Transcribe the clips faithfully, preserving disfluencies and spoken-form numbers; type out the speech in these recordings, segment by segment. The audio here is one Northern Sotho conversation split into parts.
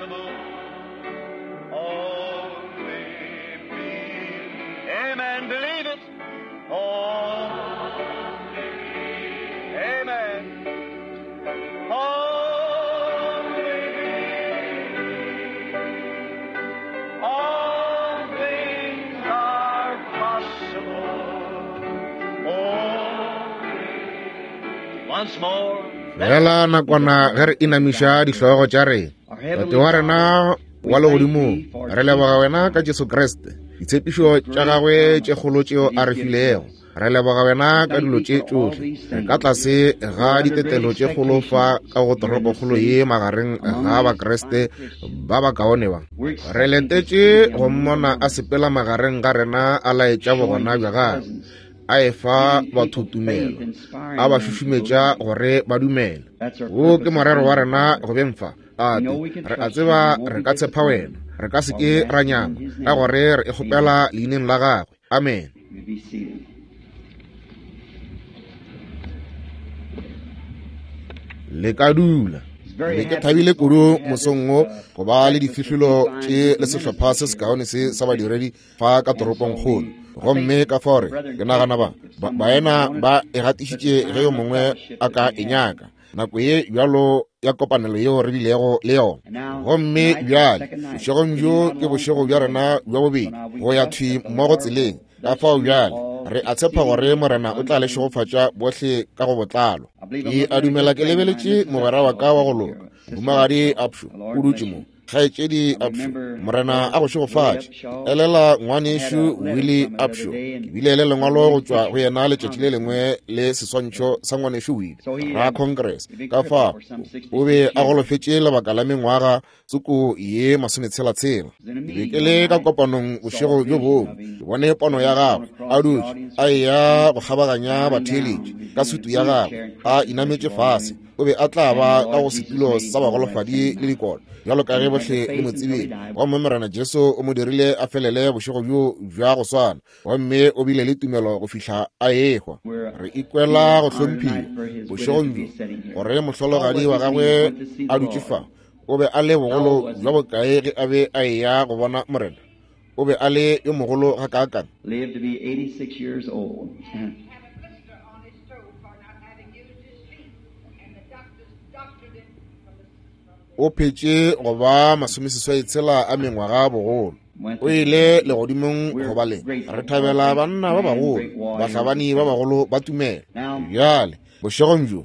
possible. Only believe. Amen. Believe it. Only. Amen. Only believe. All things are possible. Only. Once more. Fela nakwana ge re inamiša dihlogo tša rena. Tate wa rena wa legodimong, re leboga wena ka Jesu Kriste, ditshepišo tša gagwe tše kgolo tšeo a re filego. Re leboga wena ka dilo tše tšohle. Re ka tlase ga ditetelo tše kgolo fa ka go toropokgolo ye magareng ga Bakriste ba bakaone ba. Re letetše go mmona a sepela magareng ga rena a laetša bogona bja gagwe, a efa batho tumelo, a ba šušumetša gore ba dumele. Wo ke morero wa rena go beng fa. Tate, re a tseba re ka tshepa wena, re ka se ke ra nyama, ka gore re e kgopela leineng la gagwe. Amen. Le ka dula. Be ke thabile kudu mosong wo go ba le difihlolo tše le sehlopha se sekaone se sa badiredi fa ka toropongkgolo. Gomme ka fao re ke nagana ba baena ba e gatišitše ge yo mongwe a ka e nyaka nako ye bjalo ya kopanelo yeo re bilego le yona. Gomme bjale bošegong bjo ke bošego bja rena bja bobedi go ya thwi mmogo tseleng. Ka fao bjale re a tshepa gore Morena o tla le šegofatša bohle ka go botlalo. Ke a dumela ke lebeletše mogwera wa ka wa go loka, Mohumagadi Upshaw, o dutše mo. Kgaetšedi Upshaw, Morena a go šegofatše. Elela ngwanešu Willie Upshaw, ke bile le lengwalo go tšwa go yena letšatši le lengwe le seswantšho sa ngwanešu Willie ra Congress. Ka fao o be a golofetše lebaka la mengwaga tsoko ye masometshela-tshela. Ke be ke le ka kopanong bošego bjo bongwe, ke bone pono ya gagwe a dutše a eya go kgabaganya batheeletši ka sutu ya gagwe a inametše fase. O be a tla ba ka go setulo sa bagolofadi le dikolo bjalo ka ge bohle le mo tsebile. Gomme Morena Jesu o mo dirile a felele bošego bjo bja go swana, gomme o bile le tumelo go fihla a ehwa. Re ikwela go hlomphiwa bošegong bjo gore mohlologadi wa gagwe a dutše fa. O be a le bogolo bja bokae ge a be a eya go bona Morena? O be a le yo mogolo gakaakang? Lived to be eighty-six years old. O phetše go ba masomeseswai tshela a mengwaga bogolo. O ile legodimong go ba le. Re thabela banna ba bagolo, bahlabani ba bagolo ba tumelo. Bjale bošegong bjo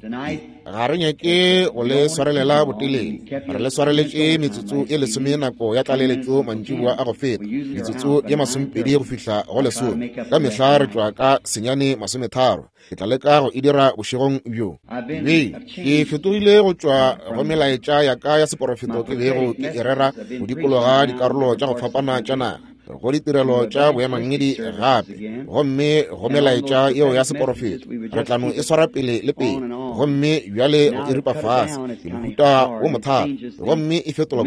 ga re nyake go le swarelela botelele. Re le swareletše metsotso ye lesome nako ya tlaleletšo mantšiboa a go feta, metsotso ye masomepedi go fihla go lesome. Ka mehla re tšwa ka senyane masometharo. Ke tla leka go e dira bošegong bjo. Be ke fetogile go tšwa go melaetša ya ka ya seporofeto ke bego ke e rera go dikologa dikarolo tša go fapana tša naga, go ditirelo tša boemangedi gape, gomme go melaetša yeo ya seporofeto re tla no e swara pele le pele. Gomme bjale go e ripa fase ke mohuta wo mothata, gomme e fetola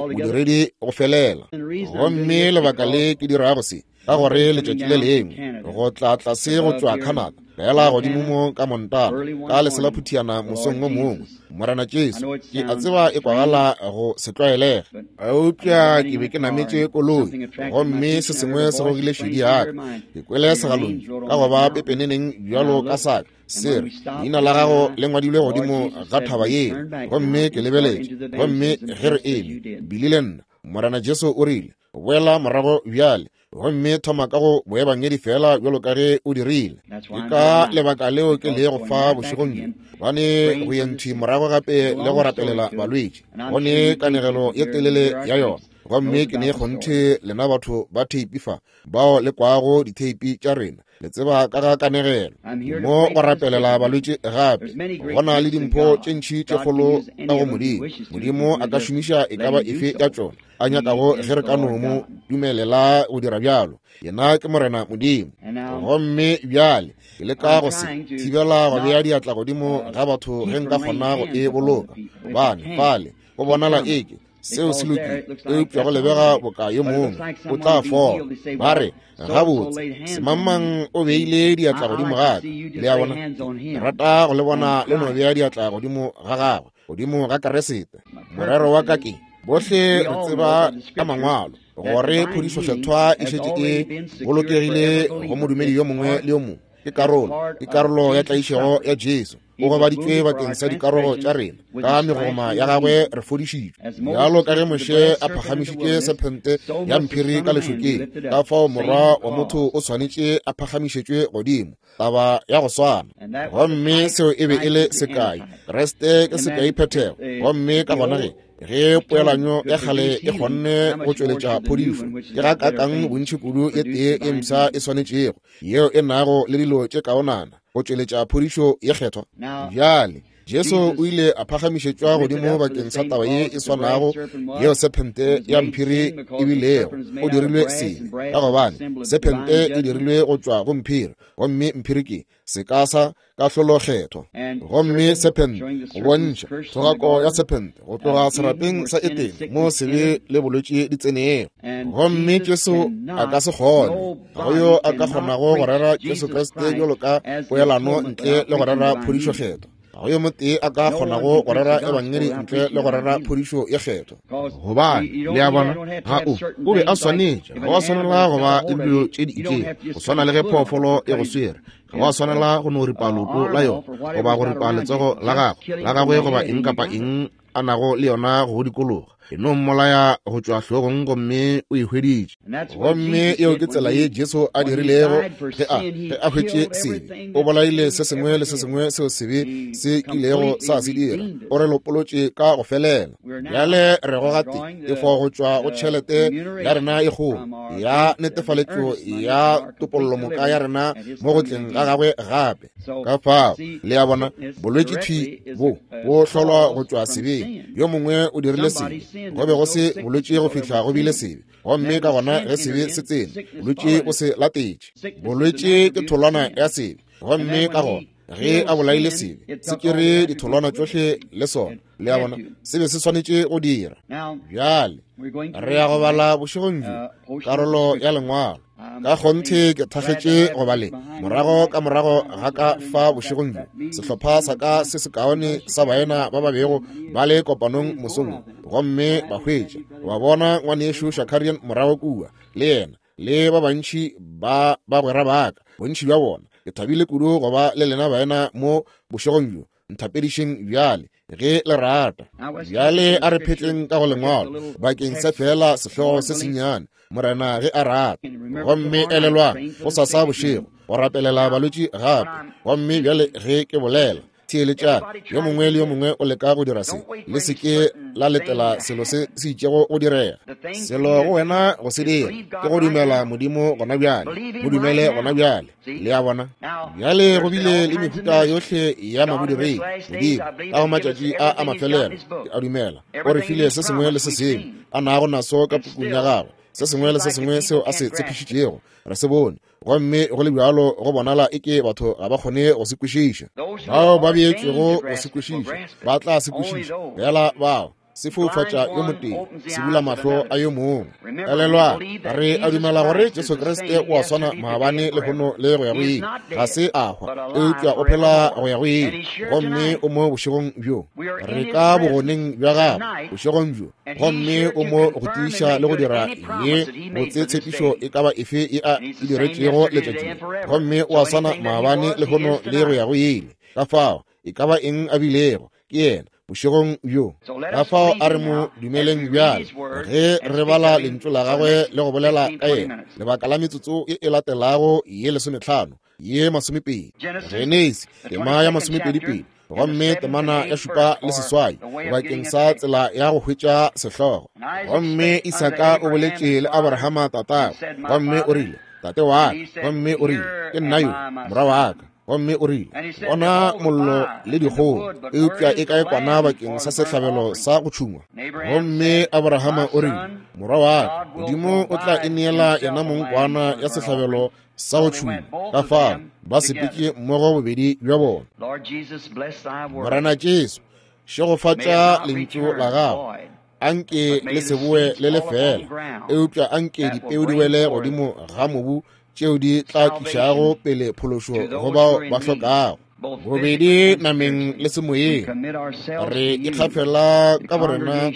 bodiredi go felela. Gomme lebaka le ke dirago se ka gore letšatši le lengwe go tla tlase go tšwa Canada fela godimo mo ka Montana ka leselaphutiana mosong wo mongwe, Morena Jesu, ke a tseba e kwagala go se tlwaelege, eupša ke be ke nametše koloi gomme se sengwe se gogile šedi ya ka. Ke kwele segalong ka go ba pepeneneng bjalo ka saka se re, leina la gago le ngwadilwe godimo ga thaba yeo. Gomme ke lebeletše, gomme ge re eme Billy le nna, Morena Jesu o rile, boela morago bjale gomme thoma ka go boebangedi fela bjalo ka ge o dirile. Ke ka lebaka leo ke lego fa bošegong bjo, gobane go ye morago gape le go rapelela balwetši. Go ne kanegelo ye telele ya yona, gomme ke ne kgonthe lena batho ba theipi fa bao le kwago ditheipi tša rena le tseba ka ga kanegelo. Mo go rapelela balwetši gape go na le dimpho tše ntši tše kgolo ka go Modimo. Modimo a ka šomiša e ka ba efe ya tšona a nyakago ge re ka no mo dumelela go dira bjalo. Yena ke Morena Modimo. Gomme bjale ke leka go se thibela go bea diatla godimo ga batho ge nka kgona go e boloka, gobane fale go bonala eke seo se lokile, eupša go lebega boka yo mongwe o tla fola. Ba re, gabotse, semangmang o beile diatla godimo ga ka. Le a bona, ke rata go le bona le no bea diatla godimo ga gagwe, godimo ga Keresete. Morero wa ka ke Bohle re tseba ka mangwalo gore phodišo kgethwa e šetše e bolokegile go modumedi yo mongwe le yo mongwe. Ke karolo, ke karolo ya tlaišego ya Jesu. O gobaditšwe bakeng sa dikarogo tša rena, ka megoma ya gagwe re fodišitšwe. Bjalo ka ge Moshe a phagamišitše sephente ya mphiri ka lešokeng, ka fao morwa wa motho o swanetše a phagamišetšwe godimo. Taba ya go swana. Gomme seo e be e le sekai. Kriste ke sekai phethego. Gomme ka gona ge ge poelanyo ya kgale e kgonne go tšweletša phodišo, ke ga kakang bontši kudu e tee e mpsha e swanetšego, yeo e nago le dilo tše kaonana go tšweletša phodišo ye kgethwa. Bjale Jesu o ile a phagamišetšwa godimo bakeng sa taba ye e swanago yeo sephente ya mphiri e bilego. O dirilwe sebe ka gobane sephente e dirilwe go tšwa go mphiri, gomme mphiri ke seka sa kahlolo kgethwa. Gomme sephente go bontšha thogako ya sephente go tloga serapeng sa Etene mo sebe le bolwetši di tsenego. Gomme Jesu a ka se kgone, ga go yo a ka kgonago go rera Jesu Kriste bjalo ka poelano ntle le go rera phodišo kgethwa. Ga go yo motee a ka kgonago go rera ebangedi ntle le go rera phodišo ye kgethwa. Gobane le a bona, ga o o be a swanetše, ga wa swanela go ba le dilo tše di itšego, go swana le ge phoofolo e go swere, ga wa swanela go no ripa leoto la yona goba go ripa letsogo la gagwe la gagwe goba eng kapa eng a nago le yona go dikologa. E no mmolaya go tšwa hlogong gomme o e hweditše. Gomme eo ke tsela ye Jesu a dirilego ge a ge a hwetše sebe. O bolaile se sengwe le se sengwe seo sebe se kilego sa se dira. O re lopolotše ka go felela. Bjale re goga tefo go tšwa go tšhelete ya rena e kgolo ya netefaletšo ya topollomoka ya rena mo go tleng ga gagwe gape. Ka fao le a bona, bolwetši thwi bo bo hlolwa go tšwa sebeng. Yo mongwe o dirile sebe, go be go se bolwetši go fihla go bile sebe. Gomme ka gona ge sebe se tsene, bolwetši bo se latetše. Bolwetši ke tholwana ya sebe. Gomme ka gona ge a bolaile sebe, se tšere ditholwana tšohle le sona. Le a bona, sebe se swanetše go dira. Bjale re ya go bala bošegong bjo karolo ya lengwalo. Ka kgonthe ke thakgetše go ba le morago ka morago ga ka fa bošegong bjo sehlopha sa ka se sekaone sa baena ba ba bego ba le kopanong mosong, gomme ba hwetša ba bona ngwanešu Shakarian morago kua le yena le ba bantši ba bagwera ba ka, bontši bja bona. Ke thabile kudu go ba le lena baena mo bošegong bjo. Nthapedišeng bjale ge le rata. Bjale a re phetleng ka go lengwalo bakeng sa fela sehlogo se sennyane, Morena ge a rata. Gomme elelwang go sasa bošego go rapelela balwetši gape. Gomme bjale ge ke bolela, theeletšang. Yo mongwe le yo mongwe o leka go dira se, le se ke la letela selo se se itšego go direga. Selo go wena go se dira ke go dumela Modimo gona bjale, mo dumele gona bjale. Le a bona, bjale go bile le mehuta yohle ya mabodiredi. Modimo ka go matšatši a a mafelelo, ke a dumela o re file se sengwe le se sengwe a nago naso ka pukung ya gagwe, se sengwe le se sengwe seo a se tshepišitšego re se bone. Gomme go le bjalo go bonala eke batho ga ba kgone go se kwešiša. Bao ba beetšwego go se kwešiša ba tla se kwešiša, fela bao se foufatša yo motee, se bula mahlo a yo mongwe. Elelwang, re a dumela gore Jesu Kriste o a swana maabane, lehono le go ya go ile. Ga se a hwa, eupša o phela go ya go ile. Gomme o mo bošegong bjo, re ka bogoneng bja gagwe bošegong bjo. Gomme o mo go tiiša le go dira ye botse tshepišo e ka ba efe ye a e diretšego letšatšing. Gomme o a swana maabane, lehono le go ya go ile. Ka fao e ka ba eng a bilego, ke yena bošegong bjo. Ka fao a re mo dumeleng bjale ge re bala lentšu la gagwe le go bolela ka yena lebaka la metsotso e e latelago ye lesometlhano ye masomepedi. Genesi tema ya masomepedipedi gomme temana ya šupa le seswai bakeng sa tsela ya go hwetša sehlogo. Gomme Isaka o boletše le Abrahama tatagwe, gomme o rile, Tate wa ka. Gomme o rile, Ke nna yo, morwa wa ka. Gomme o rile, Bona mollo le dikgong, eupša e kae kwana bakeng sa sehlabelo sa go tšhungwa? Gomme Abrahama o rile, Morwa wa ka, Modimo o tla e neela yena mong kwana ya sehlabelo sa go tšhungwa. Ka fao ba sepetše mmogo bobedi bja bona. Morena Jesu, šegofatša lentšu la gago. Anke le se boe le le fela, eupša anke dipeu di wele godimo ga mobu tšeo di tla tlišago pele phološo go bao ba hlokago. Bobedi nameng le semoyeng, re ikgafela ka borena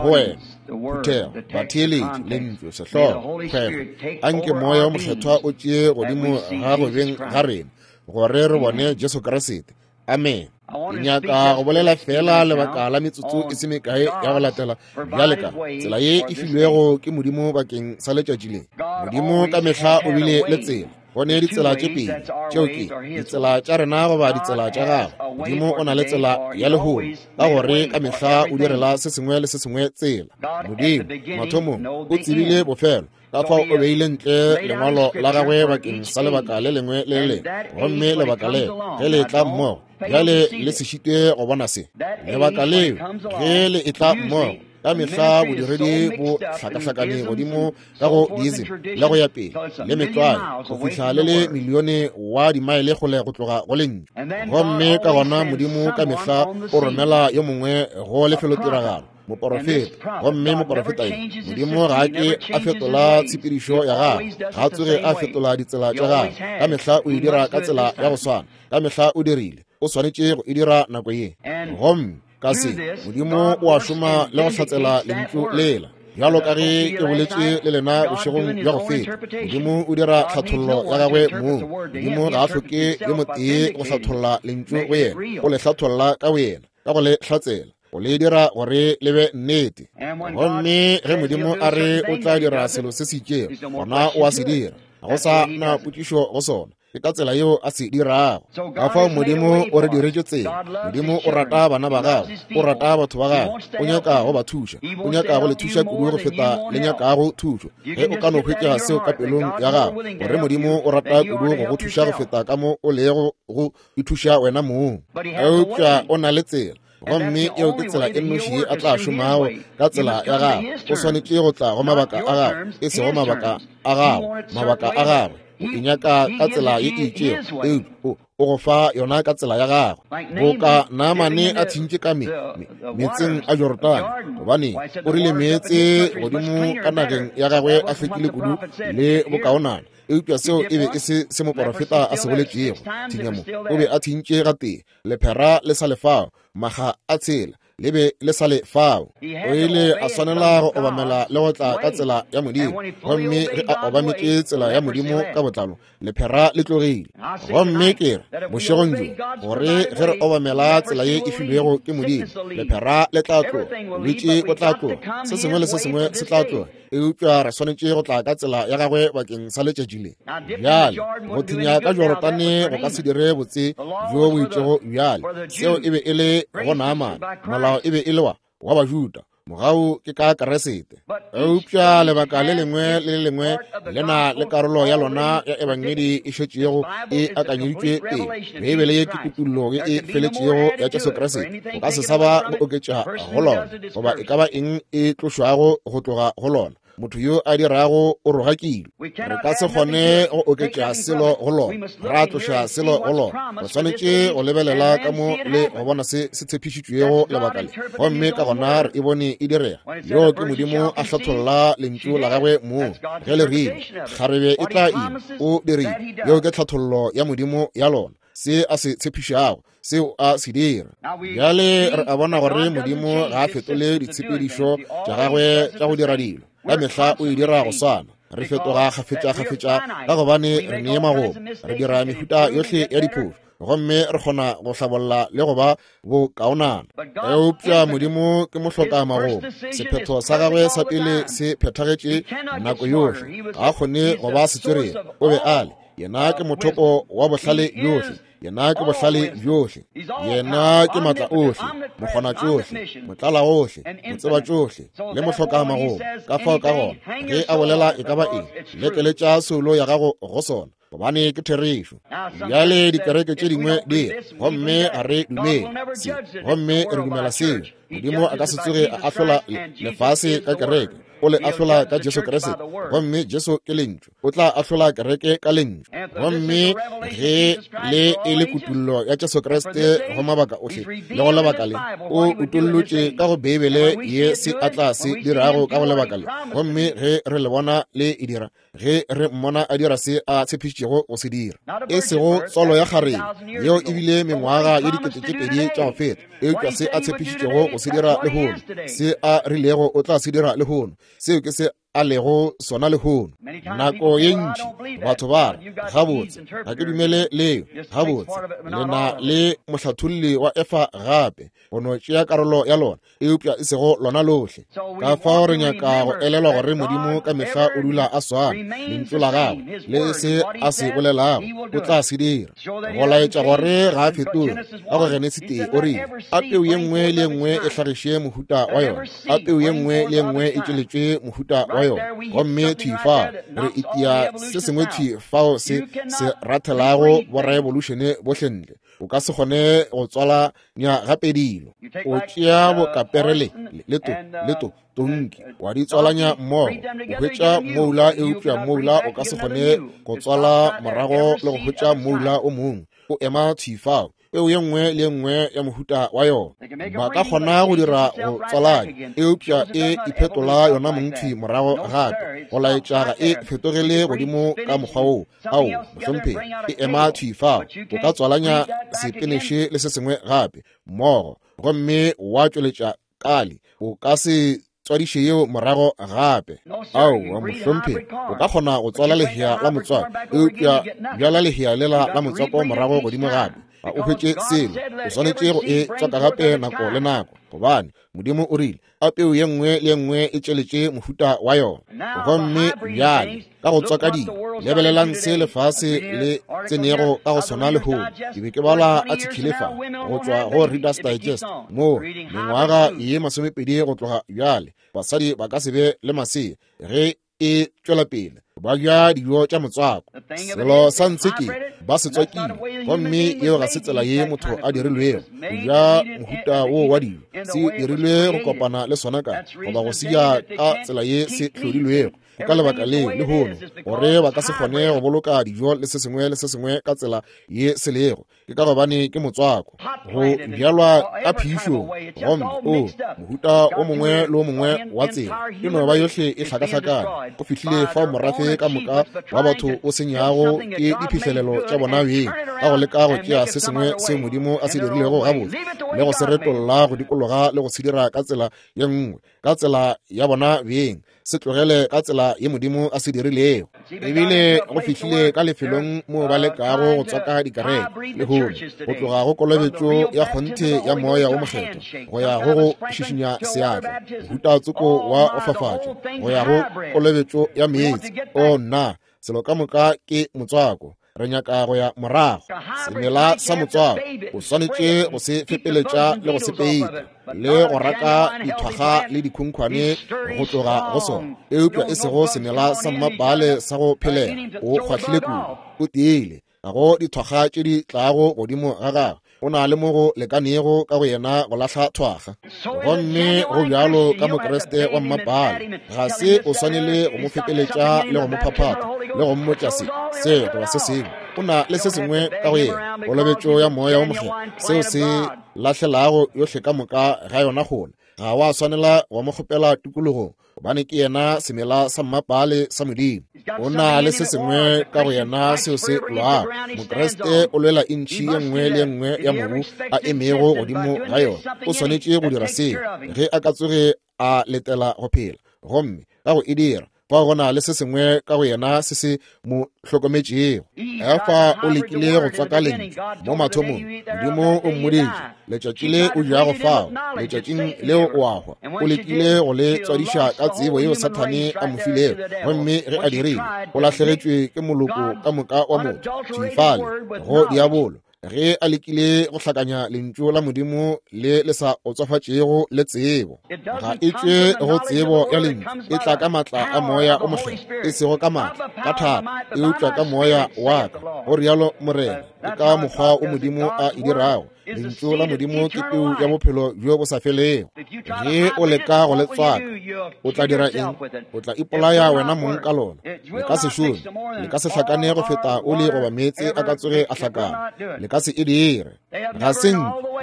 go wena, phuthego, batheeletši, lentšu, sehlogo, kgwebo. Anke Moya o Mokgethwa o tšee godimo ga go beng ga rena, gore re bone Jesu Kriste. Amen. Ke nyaka go bolela fela lebaka la metsotso e se mekae ya go latela bjale ka tsela ye e filwego ke Modimo bakeng sa letšatši le. Modimo ka mehla o bile le tsela. Go ne ditsela tše pedi, tšeo ke ditsela tša rena goba ditsela tša gagwe. Modimo o na le tsela ya lehono, ka gore ka mehla o direla se sengwe le se sengwe tsela. Modimo mathomong o tsebile bofelo, ka fao o beile ntle lengwalo la gagwe bakeng sa lebaka le lengwe le le lengwe, gomme lebaka le ge le tla mmogo, bjale le se šitwe go bona se. Lebaka leo ge le etla mmogo, ka mehla bodiredi bo hlakahlakane godimo ka go diism le go ya pele le metlwae go fihla le le milione wa dimaele kgole go tloga go lentšu. Gomme ka gona Modimo ka mehla o romela yo mongwe go lefelotiragalo, moporofeta. Gomme moporofeta yo, Modimo ga a ke a fetola tshepedišo ya gagwe, ga a tsoge a fetola ditsela tša gagwe. Ka mehla o e dira ka tsela ya go swana, ka mehla o dirile, o swanetše go e dira nako ye. Gomme ka se, Modimo o a šoma le go hlatsela lentšu lela. Bjalo ka ge ke boletše le lena bošegong bja go feta, Modimo o dira tlhathollo ya gagwe mong. Modimo ga a hloke yo motee go hlatholla lentšu go yena, o le hlatholla ka boyena, ka go le hlatsela, o le dira gore le be nnete. Gomme ge Modimo a re o tla dira selo se se itšego, gona o a se dira, ga go sa na potšišo go sona. Ke ka tsela yeo a se dirago. Ka fao Modimo o re diretše tsela. Modimo o rata bana ba gagwe, o rata batho ba gagwe, o nyaka go ba thuša, o nyaka go le thuša kudu go feta le nyakago thušo. Ge o ka no hwetša seo ka pelong ya gago, gore Modimo o rata kudu go go thuša go feta ka mo o lego go ithuša wena mong. Eupša o na le tsela, gomme eo ke tsela e nnoši ye a tla šomago ka tsela ya gagwe. O swanetše go tla go mabaka a gagwe, e sego mabaka a gago, mabaka a gagwe. O e nyaka ka tsela ye e itšego, eupša o go fa yona ka tsela ya gagwe. Boka Naamane a thintše ka me, me, meetseng a Jorodane, gobane o rile meetse godimo ka nageng ya gagwe a hlwekile kudu le bokaonana. Eupša seo e be e se se moporofeta a se boletšego. Thinya mo, o be a thintše gatee, lephera le sa le fao, maga a tshela le be le sa le fao. O ile a swanela go obamela le go tla ka tsela ya Modimo, gomme ge a obametše tsela ya Modimo ka botlalo, lephera le tlogile. Gomme ke re bošegong bjo, gore ge re obamela tsela ye e filwego ke Modimo, lephera le tla tloga, bolwetši bo tla tloga, se sengwe le se sengwe se tla tloga. Eupša re swanetše go tla ka tsela ya gagwe bakeng sa letšatši le. Bjale go thinya ka Jorodane go ka se dire botse bjo bo itšego bjale. Seo e be e le go Naamane, molao e be e le wa wa Bajuda, mogau ke ka Kriste. Eupša lebaka le lengwe le le lengwe le na le karolo ya lona ya ebangedi e šetšego e akanyeditšwe pele. Beibele ye ke kutullo ye e feletšego ya Jesu Kriste. O ka se sa ba go oketša go lona, goba e ka ba eng e tlošwago go tloga go lona. Motho yo a dirago o rogakilwe. Re ka se kgone go oketša selo go lona, ra tloša selo go lona. Re swanetše go lebelela ka mo le go bona se se tshepišitšwego lebaka le, gomme ka gona re e bone e direga. Yo ke Modimo a hlatholla lentšu la gagwe mong. Ge le rile kgarebe e tla ima, o dirile. Yo ke tlhathollo ya Modimo ya lona, se a se tshepišago, seo a se dira. Bjale re a bona gore Modimo ga a fetole ditshepedišo tša gagwe tša go dira dilo. Ka mehla o e dira go swana. Re fetoga kgafetša-kgafetša ka gobane re nee magomo, re dira mehuta yohle ya diphošo, gomme re kgona go hlabolla le go ba bokaonana. Eupša Modimo ke mohloka magomo. Sephetho sa gagwe sa pele se phethagetše nako yohle. Ga a kgone go ba setswerere, o be a le. Yena ke mothopo wa bohlale bjohle, yena ke bohlale bjohle, yena ke matla ohle, mokgona tšohle, motlala ohle, motseba tšohle, le mohloka magomo. Ka fao ka gona ge a bolela e ka ba eng, lekeletša soulo ya gago go sona, gobane ke therešo. Bjale dikereke tše dingwe di re, gomme ga re dumele se, gomme re dumela seo. Modimo a ka se tsoge a ahlola lefase ka kereke, o le ahlola ka Jesu Kriste, gomme Jesu ke lentšu. O tla ahlola kereke ka lentšu. Gomme ge le e le kutullo ya Jesu Kriste go mabaka ohle le go lebaka le, o utollotše ka go Beibele ye se a tla se dirago ka go lebaka le. Gomme ge re le bona le e dira, ge re mmona a dira se a tshepišitšego tshepišitšego go se dira. E sego tswalo ya kgarebe, yeo e bile mengwaga ye dikete tše pedi tša go feta, eupša se a tshepišitšego go se dira lehono, se a rilego o tla se dira lehono, seo ke se a lego sona lehono. Nako ye ntši batho ba re, gabotse, ga ke dumele leo. Gabotse, le na le mohlatholli wa Efa gape, go no tšea karolo ya lona, eupša e sego lona lohle. Ka fao re nyaka go elelwa gore Modimo ka mehla o dula a swana, lentšu la gagwe le se a se bolelago o tla se dira, go laetša gore ga a fetoge. Ka go Genesi tee o rile, a peu ye nngwe le ye nngwe e hlagiše mohuta wa yona, a peu ye nngwe le ye nngwe e tšweletše mohuta wa yona. Gomme thwi fao re itia se sengwe thwi fao se se rathelago boraevolušene bohle ntle. O ka se kgone go tswala nya gape dilo. O tšea bokapere le le to le to tonki wa di tswalanya mmogo, o hwetša moula, eupša moula o ka se kgone go tswala morago le go hwetša moula o mongwe. O ema thwi fao, peu ye nngwe le ye nngwe ya mohuta wa yona. Ba ka kgona go dira go tswalanya, eupša e iphetola yona mong thwi morago gape, go laetša ga e fetogele godimo ka mokgwa woo. Ao, mohlomphegi, e ema thwi fao. O ka tswalanya sepeneše le se sengwe gape mmogo, gomme wa tšweletša kali. O ka se tswadiše yeo morago gape. Aowa, mohlomphegi, o ka kgona go tswala lehea la motswako, eupša bjala lehea lela la motswako morago godimo gape, ga o hwetše selo. O swanetše go e tswaka gape nako le nako, gobane Modimo o rile, a peu ye nngwe le ye nngwe e tšweletše mohuta wa yona. Gomme bjale ka go tswaka dilo, lebelelang se lefase le tsenego ka go sona lehono. Ke be ke bala article fa go tšwa go Reader's Digest, moo mengwaga ye masomepedi go tloga bjale basadi ba ka se be le masea ge e tšwela pele ba ja dijo tša motswako. Selo sa ntshe ke ba se tswakile, gomme yeo ga se tsela ye motho a dirilwego go ja mohuta wo wa dijo. Se dirilwe go kopana le sona ka goba go se ja ka tsela ye se hlodilwego. Ka lebaka leo lehono gore ba ka se kgone go boloka dijo le se sengwe le se sengwe ka tsela ye se lego, ke ka gobane ke motswako go bjalwa ka phišong, gomme o mohuta o mongwe le o mongwe wa tsela e no ba yohle e hlakahlakane. Go fihlile fao morafe ka moka wa batho o senyago ke diphihlelelo tša bona beng ka go leka go tšea se sengwe seo Modimo a se dirilego gabotse le go se retolla go dikologa le go se dira ka tsela ye nngwe, ka tsela ya bona beng. Se tlogele ka tsela ye Modimo a se dirilego. Ebile go fihlile ka lefelong moo ba lekago go tswaka dikereke lehono, go tloga go kolobetšo ya kgonthe ya moya o mokgethwa go ya go go šišinya seatla, mohuta tsoko wa go fafatša, go ya go kolobetšo ya meetse. O nna, selo ka moka ke motswako. Re nyaka go ya morago. Semela sa motswako o swanetše go se fepeletša le go se peita le go raka dithwaga le dikhunkhwane go tloga go sona, eupša e sego semela sa mmapale sa go phelela. O kgwahlile kudu, o tiile, ga go dithwaga tše di tlago godimo ga gagwe. O na le mo go lekanego ka go yena go lahla thwaga. Gomme go bjalo ka Mokriste wa mmapale, ga se o swanele go mo fepeletša le go mo phaphatha le go mmotša se se goba se sengwe. O na le se sengwe ka go yena, kolobetšo ya moya o mokgethwa, seo se lahlelago yohle ka moka ga yona kgole. Ga wa swanela wa mo kgopela tikologong, gobane ke yena semela sa mmapale sa Modimo. O na le se sengwe ka go yena seo se lwago. Mokriste o lwela intšhi ye nngwe le ye nngwe ya mobu a emego godimo ga yona. O swanetše go dira seo ge a ka tsoge a letela go phela, gomme ka go e dira fao go na le se sengwe ka go yena se se mo hlokometšego. Efa o lekile go tswaka lentšu mo mathomong. Modimo o mmoditše, letšatši le o jago fao, letšatšing leo o a hwa. O lekile go le tswadiša ka tsebo yeo Sathane a mo filego, gomme ge a dirile, o lahlegetšwe ke moloko ka moka wa motho thwi fale go diabolo, ge a lekile go hlakanya lentšu la Modimo le le sa otswafatšego le tsebo. Ga e tšwe go tsebo ya lentšu, e tla ka matla a moya o mokgethwa, e sego ka matla ka thata, eupša ka moya wa ka, go rialo Morena. Ke ka mokgwa o Modimo a e dirago. Lentšu la Modimo ke peu ya bophelo bjo bo sa felego. Ge o leka go le tswaka, o tla dira eng? O tla ipolaya wena mong ka lona. Le ka se šome, le ka se hlakane go feta oli goba meetse a ka tsoge a hlakana. Le ka se e dire. Ga se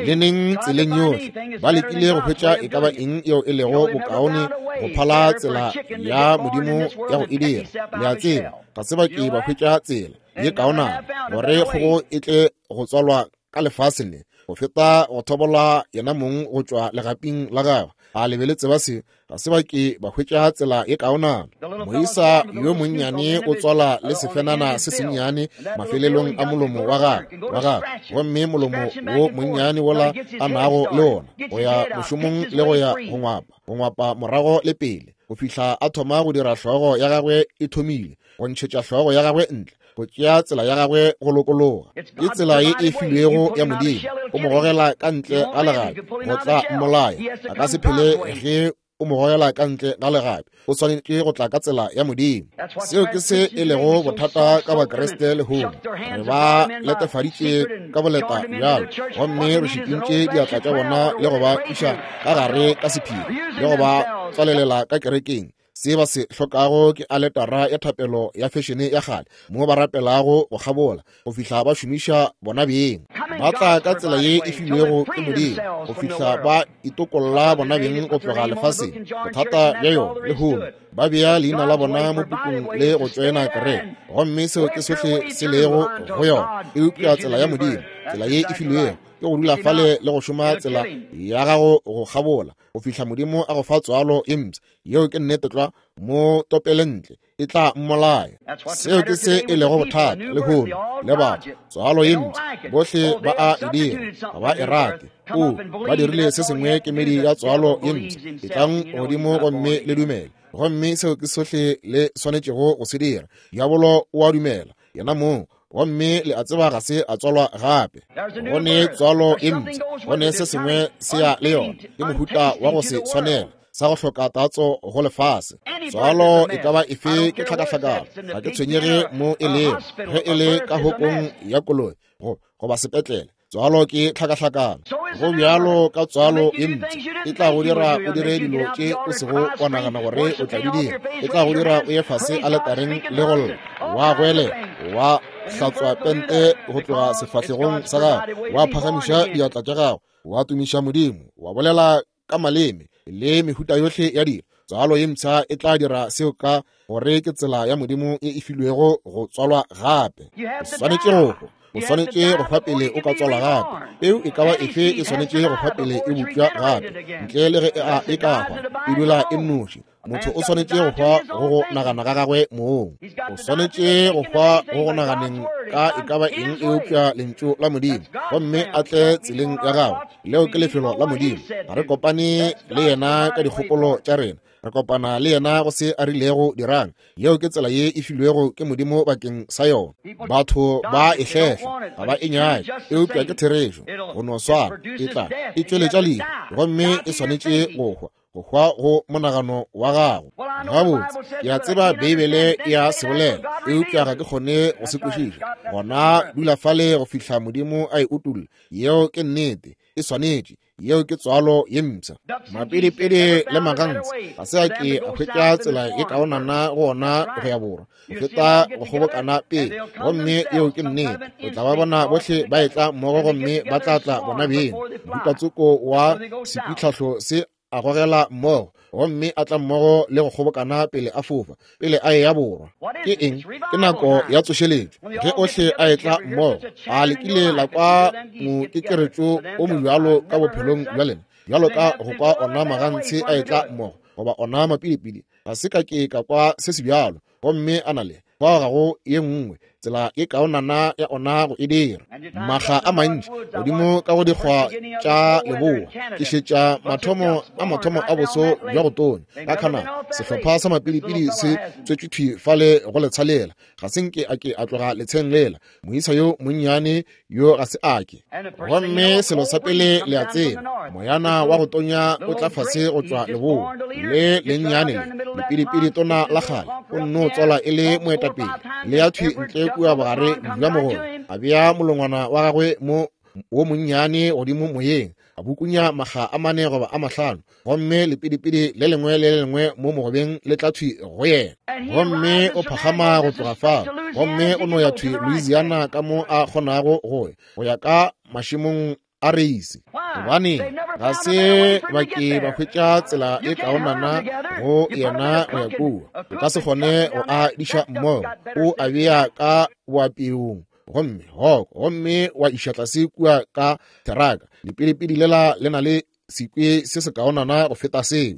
le neng tseleng yohle ba lekile go hwetša e ka ba eng yeo e lego bokaone go phala tsela ya Modimo ya go e dira. Le a tseba, ga se ba ke ba hwetša tsela ye kaonana gore kgogo e tle go tswalwa ka lefaseng le go feta go thobola yena mong go tšwa legaping la gagwe. A le be le tseba se? Ga se ba ke ba hwetša tsela ye kaonana. Moisa yo monnyane o tswala le sefenana se sennyane mafelelong a molomo wa gagwe wa gagwe, gomme molomo wo monnyane wola a nago le wona go ya mošomong le go ya go ngwapa, go ngwapa morago le pele, go fihla a thoma go dira hlogo ya gagwe e thomile go ntšhetša hlogo ya gagwe ntle, go tšea tsela ya gagwe go lokologa. Ke tsela ye e filwego ya Modimo. O mo gogela ka ntle ga legapi go tla mmolaya. A ka se phele ge o mo gogela ka ntle ga legapi. O swanetše go tla ka tsela ya Modimo. Seo ke se e lego bothata ka Bakriste lehono. Re ba letefaditše ka boleta bjalo, gomme re šikintše diatla tša bona le go ba iša ka gare ka sephiri le go ba tswalelela ka kerekeng. Se ba se hlokago ke aletara ya thapelo ya fešene ya kgale mo ba rapelago go kgabola go fihla ba šomiša bona beng. Ba tla ka tsela ye e filwego ke Modimo go fihla ba itokolla bona beng go tloga lefaseng. Bothata bja yona lehono, ba bea leina la bona mo pukung le go tšoena kereke, gomme seo ke sohle se lego go yona. Eupša tsela ya Modimo, tsela ye e filwego, ke go dula fale le go šoma tsela ya gago go kgabola go fihla Modimo a go fa tswalo e mpsha. Yeo ke nnete tlwa. Mo topele ntle, e tla mmolaya. Seo ke se e lego bothata lehono le batho. Tswalo ye mpsha, bohle ba a e dira, ga ba e rate. O, ba dirile se sengwe kemedi ya tswalo ye mpsha. Etlang godimo gomme le dumele, gomme seo ke sohle le swanetšego go se dira. Diabolo o a dumela yena mong, gomme le a tseba ga se a tswalwa gape. Go ne tswalo e mpsha, go ne se sengwe se ya le yona, ke mohuta wa go se swanela sa go hloka tatso go lefase. Tswalo e ka ba efe ke tlhakahlakano. Ga ke tshwenyege mo e lego, ge e le ka hokong ya koloi goba sepetlele, tswalo ke tlhakahlakano. Go bjalo ka tswalo ye mpsha, e tla go dira o dire dilo tše o sego wa nagana gore o tla di dira. E tla go dira o ye fase aletareng le go lla, wa goelela, wa hlatswa pente go tloga sefahlegong sa gago, wa phagamiša diatla tša gago, wa tumiša Modimo, wa bolela ka maleme le mehuta yohle ya dilo. Tswalo ye mpsha e tla dira seo ka gore ke tsela ya Modimo e e filwego go tswalwa gape. O swanetše go hwa. O swanetše go hwa pele o ka tswalwa gape. Peu e ka ba efe e swanetše go hwa pele e bopša gape. Ntle le ge e ka hwa, e dula e nnoši. Motho o swanetše go hwa go go nagana ga gagwe mong. O swanetše go hwa go go naganeng ka e ka ba eng eupša lentšu la Modimo, gomme a tle tseleng ya gagwe. Leo ke lefelo la Modimo. Ga re kopane le yena ka dikgopolo tša rena, re kopana le yena go se a rilego dirang. Yeo ke tsela ye e filwego ke Modimo bakeng sa yona. Batho ba e hlehla, ga ba e nyake, eupša ke therešo. Go no swana, e tla e tšweletša lehu, gomme e swanetše go hwa, go hwa go monagano wa gago. Gabotse, ke a tseba Beibele e a se bolela, eupša ga ke kgone go se kwešiša. Gona dula fale go fihla Modimo a e utolla. Yeo ke nnete, e swanetše. Yeo ke tswalo ye mpsha. Mapidipidi le magantsi ga se a ke a hwetša tsela ye kaonana go ona go ya borwa go feta go kgobokana pele, gomme yeo ke nnete. O tla ba bona bohle ba etla mmogo, gomme ba tla tla bona beng. Mohutatsoko wa sepitlhahlo se a gogela mmogo, gomme a tla mmogo le go kgobokana pele a fofa, pele a eya borwa. Ke eng? Ke nako ya tsošeletšo ge ohle a etla mmogo. A le kile la kwa mokekeretšo o mobjalo ka bophelong bja lena, bjalo ka go kwa ona magantshi a etla mmogo goba ona mapidipidi? Ga se ka ke ka kwa se se bjalo. Gomme a na le fao ga go ye nngwe tsela e kaonana ya ona go e dira. Makga a mantši godimo ka go dikgwa tša leboa ke šetša mathomo a mathomo a boso bja go tonya ka Canada. Sehlopha sa mapidipidi se tswetšwe thwi fale go letsha lela. Ga se nke a ke a tloga letsheng lela. Moisa yo monnyane yo ga se a ke. Gomme selo sa pele le a tseba, moyana wa go tonya o tla fase go tšwa leboa le lennyane le lepidipidi tona la kgale, o nno tswala e le moetapele, le ya thwi ntle kua bogare bja mogolo, a bea molongwana wa gagwe mo wo monnyane godimo moyeng, a A bukunya makga a mane goba a mahlano, gomme lepidipidi le lengwe le le lengwe mo mogobeng le tla thwi go yena. Gomme o phagama go tloga fao, gomme o no ya thwi Louisiana ka mo a kgonago go ya, go ya ka mašemong a reisi. Gobane ga se ba ke ba hwetša tsela e kaonana go yena go ya kua. O ka se kgone go a diša mmogo, o a bea ka boapeong, gomme hoko, gomme wa iša tlase kua ka theraka. Lepidipidi lela le na le sekwe se se kaonana go feta seo,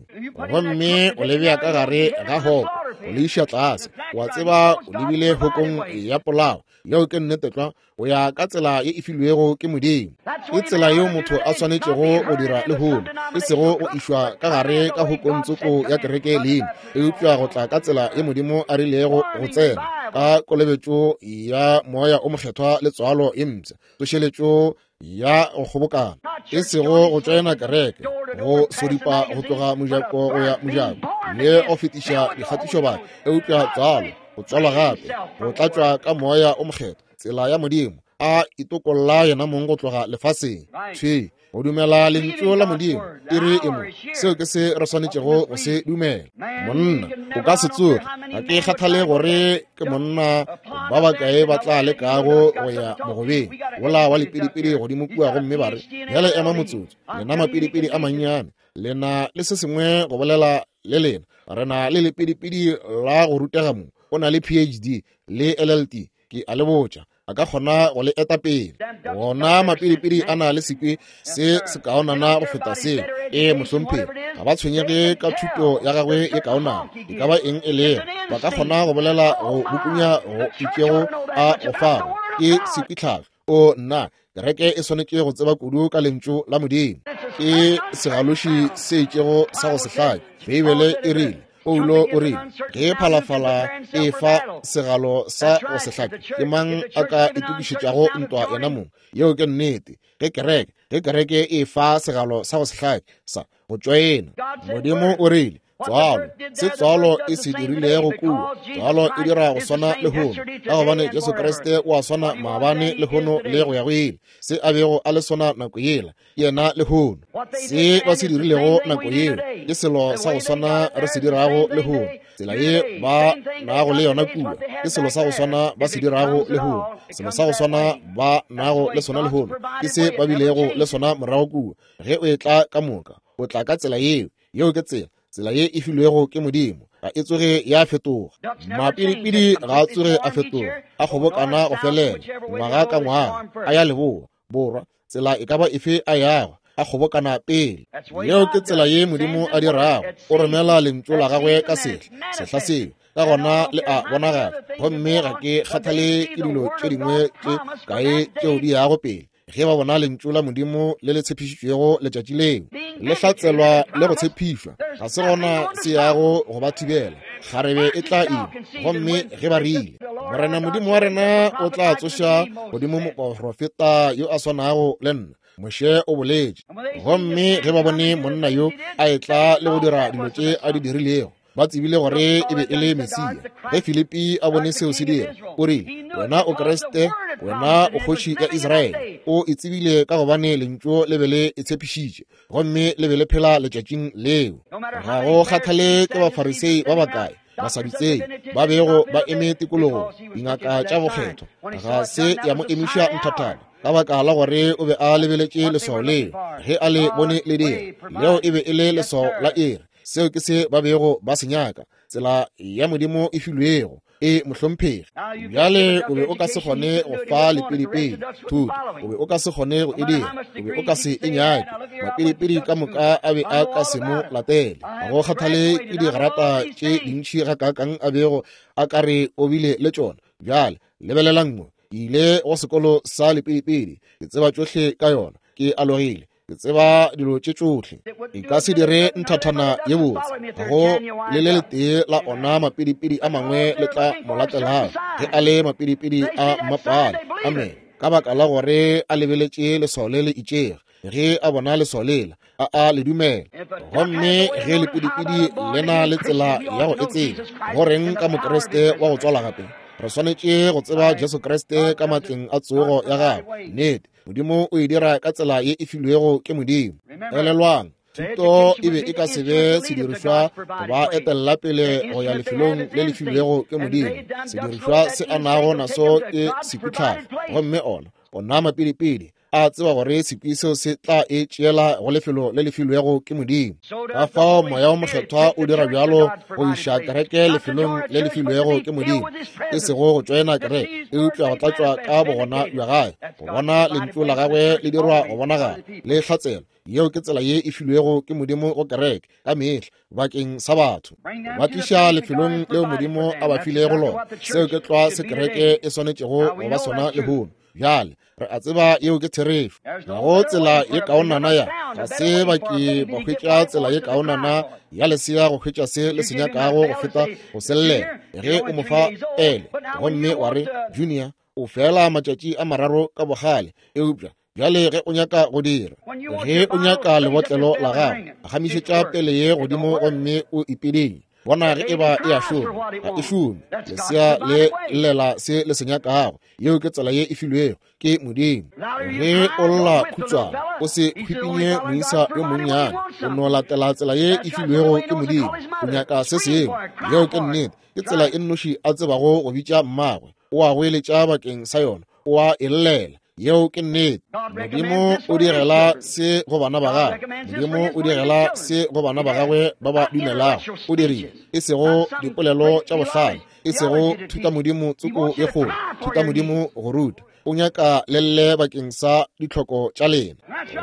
gomme o le bea ka gare ga hoko, o le iša tlase. Wa tseba o lebile hokong ya polao. Yeo ke nnete tlwa, o ya ka tsela ye e filwego ke Modimo. Ke tsela yeo motho a swanetšego go dira lehono, e sego go išwa ka gare ka hokong tsoko ya kereke leina, eupša go tla ka tsela ye Modimo a rilego go tsena, ka kolobetšo ya Moya o Mokgethwa le tswalo ye mpsha, tsošeletšo ya go kgobokana, e sego go tšoena kereke, go sodipa go tloga mojako go ya mojako le go fetiša dikgatišobaka, eupša tswalo, go tswalwa gape, go tlatšwa ka Moya o Mokgethwa, tsela ya Modimo, a itokolla yena mong go tloga lefaseng. Thwi, go dumela lentšu la Modimo, iri e mo. Seo ke se re swanetšego go se dumela. Monna, o ka se tsoge, ga ke kgathale gore ke monna ba bakae ba tla lekago go ya mogobeng wola wa lepidipidi godimo kua, gomme ba re, bjale ema motsotso, lena mapidipidi a mannyane, le na le se sengwe go bolela le lena. Re na le lepidipidi la go rutega mo, o na le P H D le L L T, ke a le botša, a ka kgona go le eta pele. Gona mapidipidi a na le sekwe se se kaonana go feta seo. Ee, mohlomphegi, ga ba tshwenyege ka thuto ya gagwe e kaonana, e ka ba eng e lego, ba ka kgona go bolela go bukunya go itšego a go fago ke sekwitlhahlo. O nna, kereke e swanetše go tseba kudu ka lentšu la Modimo. Ke segaloši se itšego sa go se hlake. Beibele e rile, Paulo o rile, ge phalafala e fa segalo sa go se hlake, ke mang a ka itokišetšago ntwa yena mong? Yeo ke nnete. Ge kereke, ge kereke e fa segalo sa go se hlake sa go tšoena, Modimo o rile, tswalo, se tswalo e se dirilego kua, tswalo e dira go swana lehono, ka gobane Jesu Kriste o a swana maabane, lehono le go ya go ile. Se a bego a le sona nako yela, yena lehono. Se ba se dirilego nako yeo ke selo sa go swana re se dirago lehono. Tsela ye ba nago le yona kua ke selo sa go swana ba se dirago lehono. Selo sa go swana ba nago le sona lehono ke se ba bilego le sona morago kua. Ge o etla ka moka, o tla ka tsela yeo. Yeo ke tsela, tsela ye e filwego ke Modimo, ga e tsoge ya fetoga. Mapidipidi ga a tsoge a fetoga, a kgobokana go felela ngwaga ka ngwaga, a ya leboa, borwa, tsela e ka ba efe a yago, a kgobokana pele. Yeo ke tsela ye Modimo a dirago. O romela lentšu la gagwe ka sehla, sehla seo, ka gona le a bonagala. Gomme ga ke kgathale ke dilo tše dingwe tše kae tšeo di yago pele. Ge ba bona lentšu la Modimo le le tshepišitšwego letšatši leo, le hlatselwa le go tshepišwa, ga se gona se yago go ba thibela. Kgarebe e tla ima, gomme ge ba rile, Morena Modimo wa rena o tla tsoša godimo moprofeta yo a swanago le nna, Moshe o boletše. Gomme ge ba bone monna yo a etla le go dira dilo tše a di dirilego, ba tsebile gore e be e le Mesia. Ge Filipi a bone seo se dira, o rile, wena o Kriste, wena o kgoši ya Israele. O e tsebile ka gobane lentšu le be le e tshepišitše, gomme le be le phela letšatšing leo. Ga go kgathale ke Bafarisei ba bakae, Basadutsei ba bego ba eme tikologong, dingaka tša bokgethwa, ga se ya mo emiša nthathana, ka baka la gore o be a lebeletše leswao leo. Ge a le bone le dira, leo e be e le leswao la iri. Seo ke se ba bego ba se nyaka, tsela ya Modimo e filwego. E mohlomphegi, bjale o be o ka se kgone go fa lepidipidi thuto, o be o ka se kgone go e dira, o be o ka se e nyake. Mapidipidi ka moka a be a ka se mo latele. Ga go kgathale ke digrata tše dintši gakaakang a bego a ka re o bile le tšona. Bjale lebelelang mo, ke ile go sekolo sa lepidipidi, ke tseba tšohle ka yona, ke alogile, ke tseba dilo tše tšohle. E ka se dire nthathana ye botse. Go le le letee la ona mapidipidi a mangwe le tla mo latelago, ge a le mapidipidi a mmapale. Amen. Ka baka la gore a lebeletše leswao le le itšego, ge a bona leswao lela, a a le dumela. Gomme ge lepidipidi le na le tsela ya go e tseba, go reng ka Mokriste wa go tswala gape? Re swanetše go tseba Jesu Kriste ka matleng a tsogo ya gagwe. Nnete, Modimo o e dira ka tsela ye e filwego ke Modimo. Elelwang, thuto e be e ka se be sedirišwa go ba etella pele go ya lefelong le le filwego ke Modimo. Sedirišwa se a nago naso ke sekwitlhahlo, gomme ona ona mapidipidi a tseba gore sekwi seo se tla e tšeela go lefelo le le filwego ke Modimo. Ka fao Moya wo Mokgethwa o dira bjalo go iša kereke lefelong le le filwego ke Modimo, e sego go tšoena kereke, eupša go tlatšwa ka bogona bja gagwe, go bona lentšu la gagwe le dirwa go bonagala le hlatselwa. Yeo ke tsela ye e filwego ke Modimo go kereke ka mehla bakeng sa batho, ba tliša lefelong leo Modimo a ba filego lona. Seo ke tlwa se kereke e swanetšego go ba sona lehono. Bjale re a tseba yeo ke therešo. Ga go tsela ye kaonana ya ga se ba ke ba hwetša tsela ye kaonana ya lesea go hwetša se le se nyakago go feta go sellela. Ge o mo fa pele gomme wa re, Junior, o fela matšatši a mararo ka bogale, eupša bjale ge o nyaka go dira, ge o nyaka lebotlelo la gago, gamišetša pele ye godimo gomme o ipedinye. Bona ge e ba e a šoma, ga e šome. Lesea le llela se le se nyakago. Yeo ke tsela ye e filwego ke Modimo. Ge o lla khutshwane, o se hwipinye moisa yo monnyane, o no latela tsela ye e filwego ke Modimo. O nyaka se sengwe. Yeo ke nnete. Ke tsela e nnoši a tsebago go bitša mmagwe. O a goeletša bakeng sa yona, o a e llela. Yeo ke nnete. Modimo o direla se go bana ba gagwe. Modimo o direla se go bana ba gagwe ba ba dumelago. O dirile e sego dipolelo tša bohlale, e sego thutamodimo tsoko ye kgolo, thutamodimo go ruta. O nyaka le lle bakeng sa ditlhoko tša lena.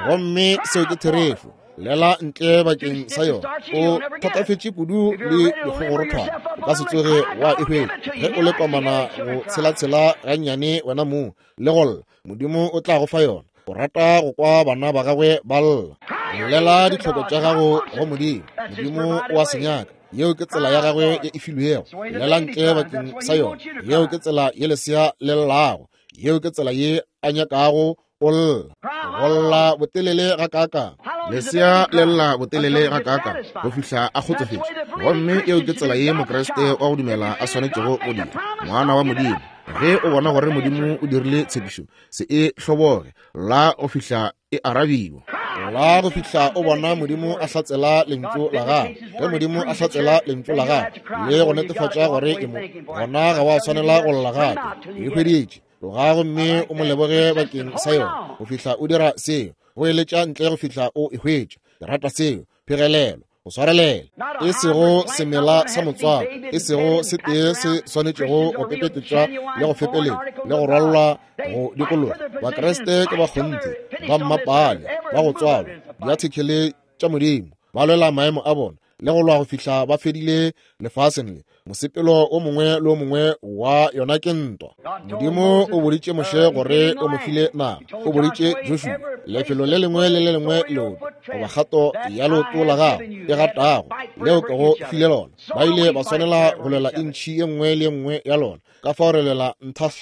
Gomme seo ke therešo. Lela ntle bakeng sa yona. O thatafetše kudu le dikgogorothwana, o ka se tsoge wa e hwetša. Ge o le komana go tshelatshela gannyane wena mong le go lla, Modimo o tla go fa yona. O rata go kwa bana ba gagwe ba lla. Lela ditlhoko tša gago go Modimo. Modimo o a se nyaka. Yeo ke tsela ya gagwe ye e filwego. Lela ntle bakeng sa yona. Yeo ke tsela ye lesea le llago. Yeo ke tsela ye a nyakago o lla. Go lla botelele gakaakang? Lesea le lla botelele gakaakang go fihla a kgotsofetše. Gomme eo ke tsela ye Mokriste wa go dumela a swanetšego go dira. Ngwana wa Modimo, ge o bona gore Modimo o dirile tshepišo, se e hloboge, la go fihla e arabiwa. La go fihla o bona Modimo a hlatsela lentšu la gagwe. Ge Modimo a hlatsela lentšu la gagwe le go netefatša gore e mo, gona ga wa swanela go lla gape. E hweditše. Tloga gomme o mo leboge bakeng sa yona go fihla o dira seo. Go eletša ntle go fihla o e hwetša. Ke rata seo. Phegelelo, go swarelela. E sego semela sa motswako, e sego se tee se swanetšego go pepetetšwa le go fepeletšwa le go rwalwa go dikologa. Bakriste ke ba kgonthe, ba mmapale, ba go tswalwa, diathekele tša Modimo, ba lwela maemo a bona le go lwa go fihla ba fedile lefaseng le. Mosepelo o mongwe le o mongwe wa yona ke ntwa. Modimo o boditše Moshe gore o mo file naga. O boditše Joshua lefelo le lengwe le le lengwe leoto goba kgato ya leoto la gago e gatago leo ke go file lona. Ba ile ba swanela go lwela intšhi ye nngwe le ye nngwe ya lona. Ka fao re lwela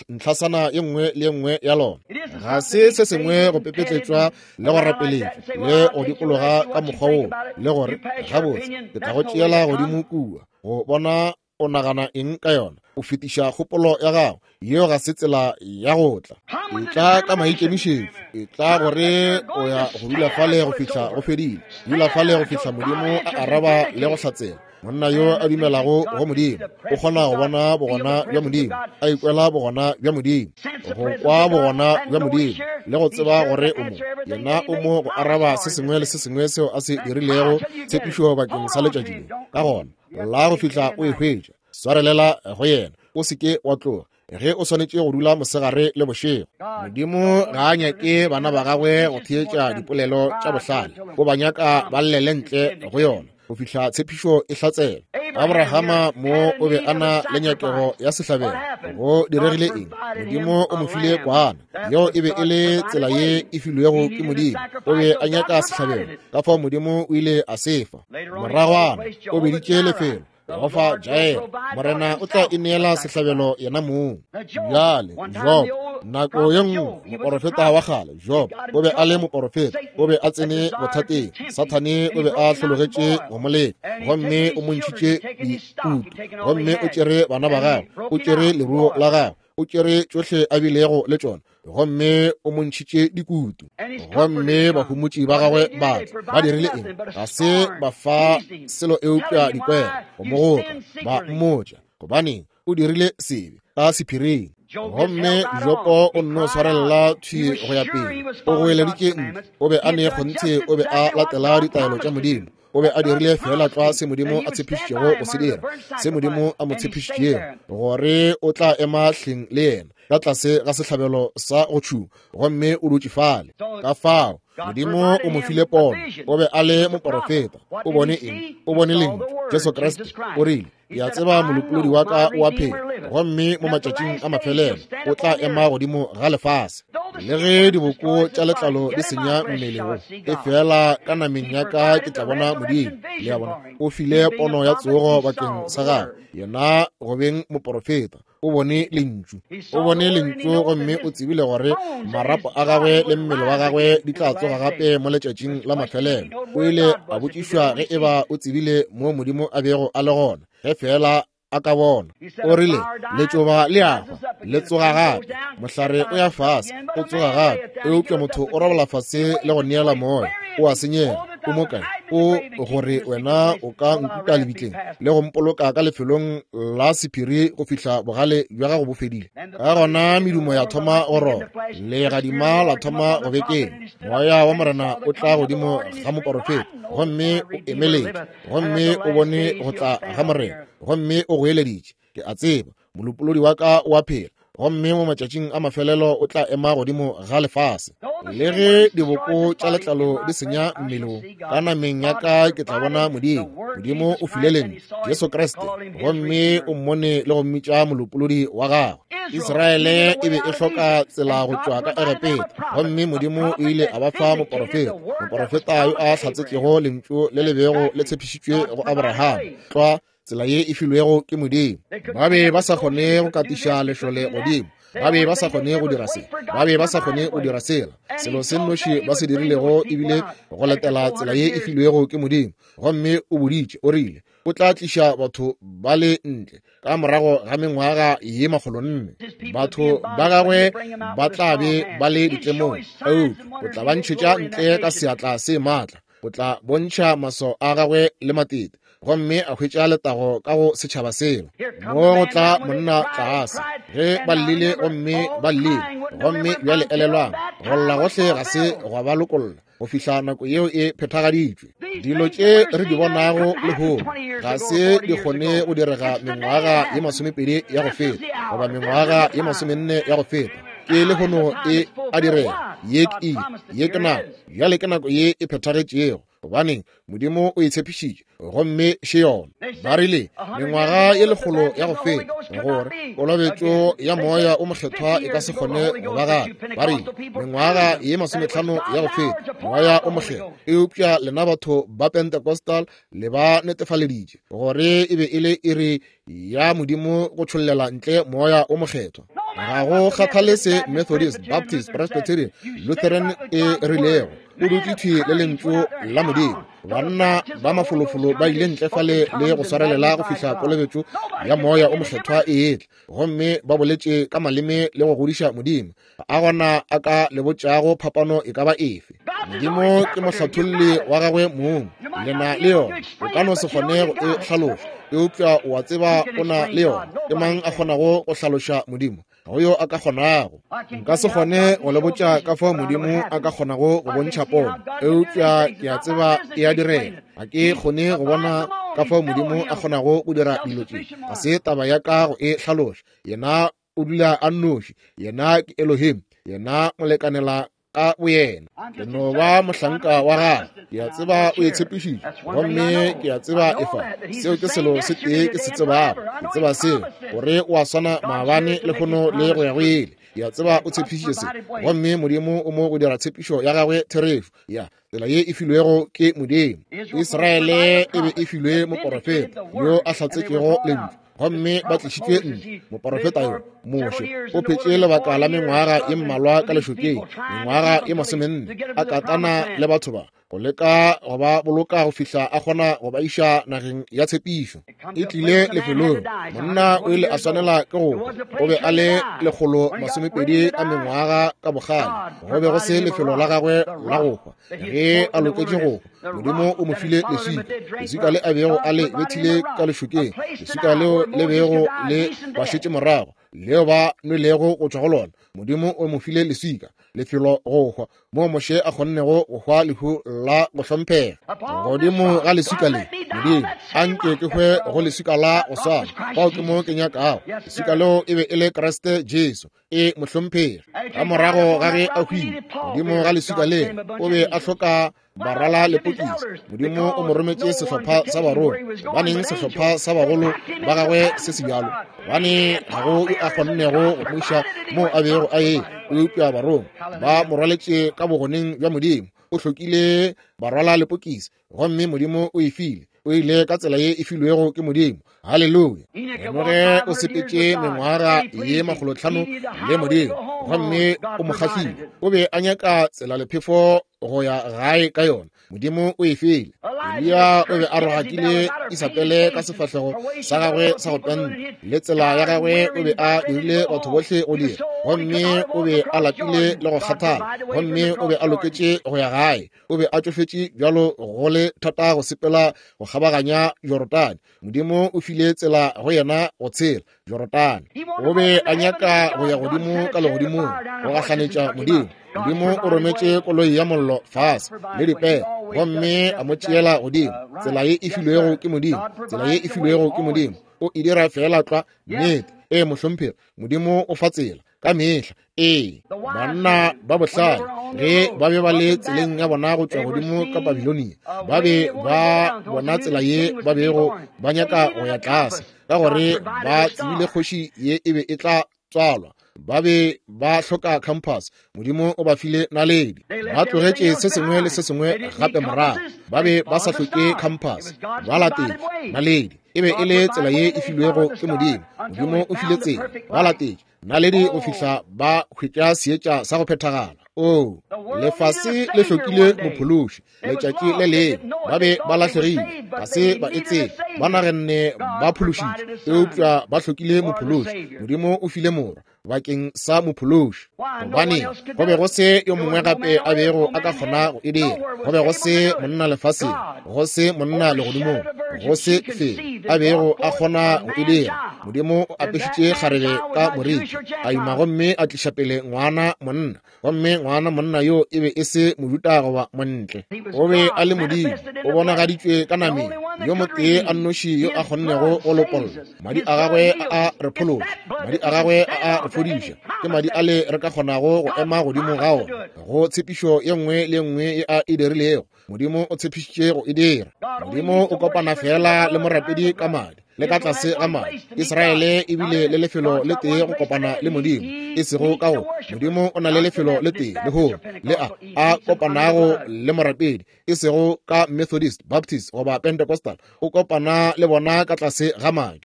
ntlhasana ye nngwe le ye nngwe ya lona. Ga se se sengwe go pepetletšwa le go rapeletšwa le go dikologa ka mokgwa woo le gore gabotse ke tla go tšeela godimo kua go bona o nagana eng ka yona. O fetiša kgopolo ya gago. Yeo ga se tsela ya go tla. E tla ka maikemišetšo. E tla gore o ya go dula fale go fihla go fedile. Dula fale go fihla Modimo a araba le go hlatsela. Monna yo a dumelago go Modimo o kgona go bona bogona bja Modimo, a ikwela bogona bja Modimo, go kwa bogona bja Modimo le go tseba gore o mo. Yena o mo go araba se sengwe le se sengwe seo a se dirilego tshepišo bakeng sa letšatši le. Ka gona la go fihla o e hwetša, swarelela go yena, o se ke wa tloga. Ge o swanetše go dula mosegare le bošego. Modimo ga a nyake bana ba gagwe go theetša dipolelo tša bohlale, o ba nyaka ba llele ntle go yona go fihla tshepišo e hlatsela. Abrahama mo o be a na le nyakego ya sehlabelo. Go diregile eng? Modimo o mo file kwana. Yeo e be e le tsela ye e filwego ke Modimo. O be a nyaka sehlabelo, ka fao Modimo o ile a se fa. Moragwana o beditše lefelo Jehofa Jair, Morena o tla ineela sehlabelo yena mong. Bjale Job, nako ye nngwe moporofeta wa kgale Job o be a le moporofeta, o be a tsene bothateng. Sathane o be a hlologetše go mo leka, gomme o mo ntšhitše dikutu, gomme o tšere bana ba gagwe, o tšere leruo la gagwe, O tšere tšohle a bilego le tšona, gomme o mo ntšhitše dikutu. Gomme bahumotši ba gagwe ba ba dirile eng? Ga se ba fa selo eupša dikwero go mo goka, ba mmotša gobaneng o dirile sebe ka sephiring. Gomme Jopo o nno swarella thwi go ya pele. O goeleditše ntle. O be a ne kgonthe, o be a latela ditaelo tša Modimo. O be a dirile fela tlwa se Modimo a tshepišitšego go se dira, se Modimo a mo tshepišitšego, gore o tla ema hleng le yena ka tlase ga sehlabelo sa go tšhuma, gomme o dutše fale. Ka fao Modimo o mo file pono. O be a le moporofeta. O bone eng? O bone lentšu, Jesu Kriste. O rile, ke a tseba molopolodi wa ka o a phela, gomme mo matšatšing a mafelelo o tla ema godimo ga lefase. Le ge diboko tša letlalo di senya mmele wo, e fela ka nameng ya ka ke tla bona Modimo. Le a bona, o file pono ya tsogo bakeng sa gagwe, yena go beng moporofeta. O bone lentšu, o bone lentšu, gomme o tsebile gore marapo a gagwe le mmele wa gagwe di tla tsoga gape mo letšatšing la mafelelo. O ile a botšišwa ge eba o tsebile mo Modimo a bego a le gona, ge fela a ka bona. O rile, letšoba le a hwa, le tsoga gape, mohlare o ya fase, o tsoga gape, eupša motho o robala fase le go neela moya, o a senyega. O mo kae? O gore wena o ka nkuka lebitleng le go mpoloka ka lefelong la sephiri go fihla bogale bja gago bo fedile. Ka gona medumo ya thoma go roba, legadima la thoma go bekeng. Moya wa Morena o tla godimo ga moporofeta, gomme o emeletše, gomme o bone go tla ga Morena, gomme o goeleditše, ke a tseba molopolodi wa ka o a phela, gomme mo matšatšing a mafelelo o tla ema godimo ga lefase. Le ge diboko tša letlalo di senya mmele wo, ka nameng ya ka ke tla bona Modimo. Modimo o file lentšu, Jesu Kriste, gomme o mmone le go mmitša molopolodi wa gagwe. Israele e be e hloka tsela go tšwa ka Egepeta, gomme Modimo o ile a ba fa moporofeta, moporofeta yo a hlatsetšego lentšu le le bego le tshepišitšwe go Abraham, tlwa tsela ye e filwego ke Modimo. Ba be ba sa kgone go katiša lešole godimo, ba be ba sa kgone go dira se, ba be ba sa kgone go dira sela. Selo se nnoši ba se dirilego ebile go latela tsela ye e filwego ke Modimo. Gomme o boditše, o rile o tla tliša batho ba le ntle ka morago ga mengwaga ye makgolonne. Batho ba gagwe ba tla be ba le ditlemong, eupša o tla ba ntšhetša ntle ka seatla se maatla. O tla bontšha maswao a gagwe le matete, gomme a hwetša letago ka go setšhaba sela. Mo go tla monna tlase, ge ba llile gomme ba llile, gomme bjale elelwang, go lla gohle ga se gwa ba lokolla go fihla nako yeo e phethagaditšwe. Dilo tše re di bonago lehono ga se di kgone go direga mengwaga ye masomepedi ya go feta, goba mengwaga ye masomenne ya go feta. Ke lehono e a direga. Ye ke iri, ye ke nako, bjale ke nako ye e phethagetšego, gobaneng Modimo o e tshepišitše, gomme še yona. Ba rile mengwaga ye lekgolo ya go feta gore kolobetšo ya moya o mokgethwa e ka se kgone go ba gape. Ba rile mengwaga ye masometlhano ya go feta moya o mokgethwa, eupša lena batho ba Pentecostal le ba netefaleditše gore e be e le iri ya Modimo go tšhollela ntle moya o mokgethwa. Ga go kgathale se Methodist, Baptist, Presbyterian, Lutheran e rilego, o dutše thwi le lentšu la Modimo. Banna ba mafolofolo ba ile ntle fale le go swarelela go fihla kolobetšo ya moya o mokgethwa e etla, gomme ba boletše ka maleme le go godiša Modimo. A gona a ka le botšago phapano e ka ba efe? Modimo ke mohlatholli wa gagwe mong, lena le yona. O ka no se kgone go e hlaloša, eupša o a tseba o na le yona. Ke mang a kgonago go hlaloša Modimo? Ga go yo a ka kgonago. Nka se kgone go le botša ka fao Modimo a ka kgonago go bontšha pono, eupša ke a tseba e a direga. Ga ke kgone go bona ka fao Modimo a kgonago go dira dilo tše. Ga se taba ya ka go e hlaloša. Yena o dula a nnoši, yena ke Elohim, yena molekanela ka boyena. Ke no ba mohlanka wa gagwe. Ke a tseba o e tshepišitše, gomme ke a tseba e fa. Seo ke selo se tee ke se tsebago. Ke tseba seo, gore o a swana maabane, lehono le go ya go ile. Ke a tseba o tshepišitše se, gomme Modimo o mo go dira tshepišo ya gagwe therešo ya tsela ye e filwego ke Modimo. Israele e be e filwe moporofeta yo a hlatsetšego lentšu, gomme ba tlišitšwe ntle. Moporofeta yo Moshe o phetše lebaka la mengwaga ye mmalwa ka lešokeng, mengwaga ye masomenne, a katana le batho ba, go leka go ba boloka go fihla a kgona go ba iša nageng ya tshepišo. E tlile lefelong, monna o ile a swanela ke go hwa. O be a le lekgolo masomepedi a mengwaga ka bogale. Go be go se lefelo la gagwe la go hwa. Ge a loketše go hwa, Modimo o mo file leswika, leswika le a bego a le bethile ka lešokeng, leswika leo le bego le ba šetše morago, leo ba nwelego go tšwa go lona. Modimo o mo file leswika, lefelo go hwa, moo Moshe a kgonnego go hwa lehu la go hlomphega. Godimo ga leswika le, Modimo a nke ke hwe go leswika la go swana. Fao ke mo ke nyakago. Leswika leo e be e le Kriste Jesu, e mohlomphegi. Ka morago ga ge a hwile, godimo ga leswika le, o be a hloka barwala lepokisi. Modimo o mo rometše sehlopha sa barongwa. Gobaneng sehlopha sa bagolo ba gagwe se se bjalo? Gobane ga go yo a kgonnego go mo iša moo a bego a ye, eupša barongwa ba mo rwaletše ka bogoneng bja Modimo. O hlokile barwala lepokisi, gomme Modimo o e file. O ile ka tsela ye e filwego ke Modimo. Haleluya. Enoge o sepetše mengwaga ye makgolotlhano le Modimo, gomme o mo kgahlile. O be a nyaka tsela lephefo go ya gae ka yona. Modimo o e file. Eliya o be a rogakile Isabele ka sefahlego sa gagwe sa go penta, le tsela ya gagwe o be a dirile batho bohle go dira, gomme o be a lapile le go kgathala, gomme o be a loketše go ya gae. O be a tšofetše bjalo go le thata go sepela go kgabaganya Jorodane. Modimo o file tsela go yena go tshela Jorodane. O be a nyaka go ya godimo ka legodimong go gahlanetša Modimo. Modimo o rometše koloi ya mollo fase le dipere, gomme a mo tšeela godimo. Tsela ye e filwego ke Modimo, tsela ye e filwego ke Modimo, o e dira fela tlwa. Nnete, ee mohlomphegi, Modimo o fa tsela ka mehla. Ee, banna ba bohlale ge ba be ba le tseleng ya bona go tšwa godimo ka Babilonia, ba be ba bona tsela ye ba bego ba nyaka go ya tlase, ka gore ba tsebile kgoši ye e be e tla tswalwa. Ba be ba hloka compass. Modimo o ba file naledi. Ba tlogetše se sengwe le se sengwe gape morago. Ba be ba sa hloke compass. Ba latetše naledi. E be e le tsela ye e filwego ke Modimo. Modimo o file tsela. Ba latetše naledi go fihla ba hwetša seetša sa go phethagala. Oh, lefase le hlokile mophološi letšatši le lengwe. Ba be ba lahlegile, ga se ba e tsebe. Ba naganne ba phološitše, eupša ba hlokile mophološi. Modimo o file morwa bakeng sa mophološi. Gobane go be go se yo mongwe gape a bego a ka kgona go e dira. Go be go se monna lefaseng, go se monna legodimong, go se felo a bego a kgona go e dira. Modimo o apešitše kgarebe ka moriti, a ima gomme a tliša pele ngwana monna. Gomme ngwana monna yo e be e se Mojuda goba montle. O be a le Modimo, o bonagaditšwe ka nameng, yo motee a nnoši yo a kgonnego go lopolla. Madi a gagwe a a re phološa, madi a gagwe a a re fodiša. Ke madi a le re ka kgonago go ema godimo ga ona, go tshepišo ye nngwe le ye nngwe ye a e dirilego. Modimo o tshepišitše go e dira. Modimo o kopana fela le morapedi ka madi le ka tlase ga madi. Israele e bile le lefelo le tee go kopana le Modimo, e sego ka go. Modimo o na le lefelo le tee lehono le a a kopanago le morapedi, e sego ka Methodist, Baptist goba Pentecostal. O kopana le bona ka tlase ga madi.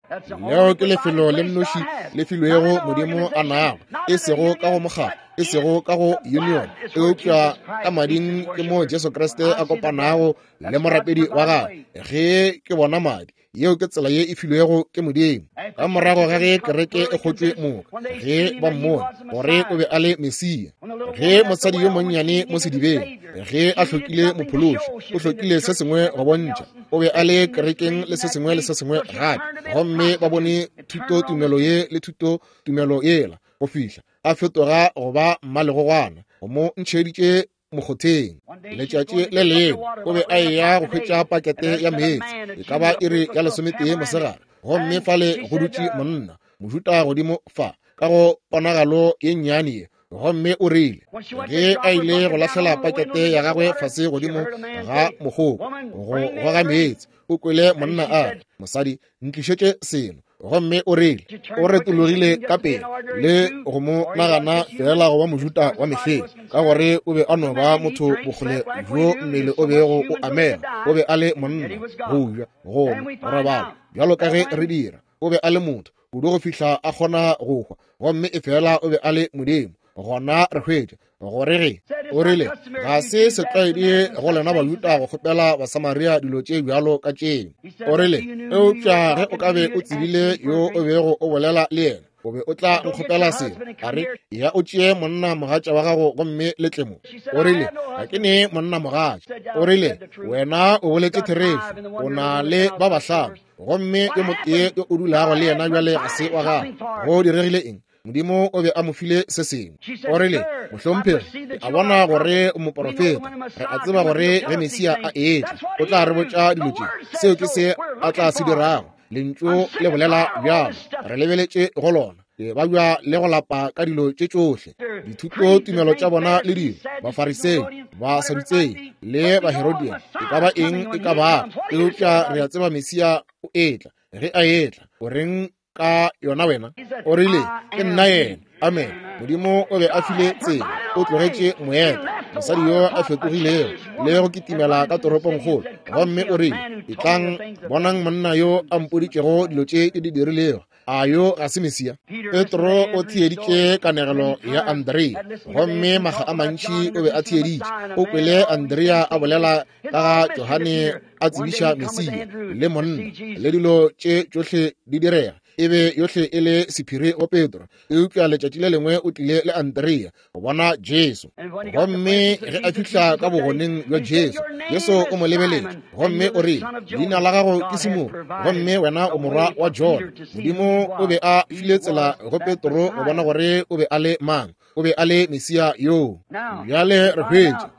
Leo ke lefelo le nnoši le filwego Modimo a nago, e sego ka go mokgatlo, e sego ka go union, eupša ka mading ke mo Jesu Kriste a kopanago le morapedi wa gagwe. Ge ke bona madi, yeo ke tsela ye e filwego ke Modimo. Ka morago ga ge kereke e kgotšwe moka, ge ba mmone gore o be a le Mesia, ge mosadi yo monnyane mo sedibeng, ge a hlokile mophološi, o hlokile se sengwe go bontšha. O be a le kerekeng le se sengwe le se sengwe gape, gomme ba bone thuto tumelo ye le thuto tumelo yela, go fihla a fetoga go ba mmalegogwana, go mo ntšheditše mokgotheng. Letšatši le lengwe o be a eya go hwetša pakete ya meetse, e ka ba iri ya lesometee mosegare, gomme fale go dutše monna Mojuda godimo fa ka go ponagalo ye nnyane ye, gomme o rile ge a ile go lahlela pakete ya gagwe fase godimo ga mogopo go goga meetse, o kwele monna a re, mosadi, ntlišetše seno. Gomme o rile o retologile ka pele le go mo nagana fela go ba Mojuda wa mehleng, ka gore o be a no ba motho bokgole bjo mmele o bego o amega. O be a le monna, go ja, go nwa, go robala, bjalo ka ge re dira. O be a le motho. kudu go fihla a kgona go hwa, gomme efela o be a le Modimo. Gona re hwetša gore ge o rile ga se setlwaedi go lena Bajuda go kgopela Basamaria dilo tše bjalo ka tšeo. O rile eupša ge o ka be o tsebile yo o bego o bolela le yena, o be o tla nkgopela selo. A re ya o tšee monna mogatša wa gago gomme le tle mo. O rile ga ke ne monna mogatša. O rile wena o boletše therešo, o na le ba bahlano, gomme yo motee yo o dulago le yena bjale ga se wa gago. Go diregile eng? Modimo o be a mo file se sengwe. O rile mohlomphegi, a bona gore o moporofeta, re a tseba gore ge Mesia a etla o tla re botša dilo tše. Seo ke se a tla se dirago. Lentšu le bolela bjalo, re lebeletše go lona. Ke ba bja le go lapa ka dilo tše tšohle, dithuto tumelo tša bona le dilo, Bafarisei, Basadutsei le Baherodia, e ka ba eng e ka ba, eupša re a tseba Mesia o etla. Ge a etla, o reng ka yona wena? O rile ke nna yena. Amen. Modimo o be a file tsela, o tlogetše moeta, mosadi yo a fetogilego le go kitimela ka toropongkgolo, gomme o rile etlang bonang monna yo a mpoditšego dilo tše ke di dirilego. A yo ga se Mesia? Petro o theeditše kanegelo ya Andrea, gomme maga a mantši o be a theeditše. O kwele Andrea a bolela ka ga Johane a tsebiša Mesia le monna le dilo tše tšohle di direga. E be yohle e le sephiri go Petro, eupša letšatši le lengwe o tlile le Andrea go bona Jesu. Gomme ge a fihla ka bogoneng bja Jesu, Jesu o mo lebeletše gomme o rile leina la gago ke Simone, gomme wena o morwa wa Jona. Modimo o be a file tsela go Petro go bona gore o be a le mang. O be a le Mesia yoo. Bjale re hwetša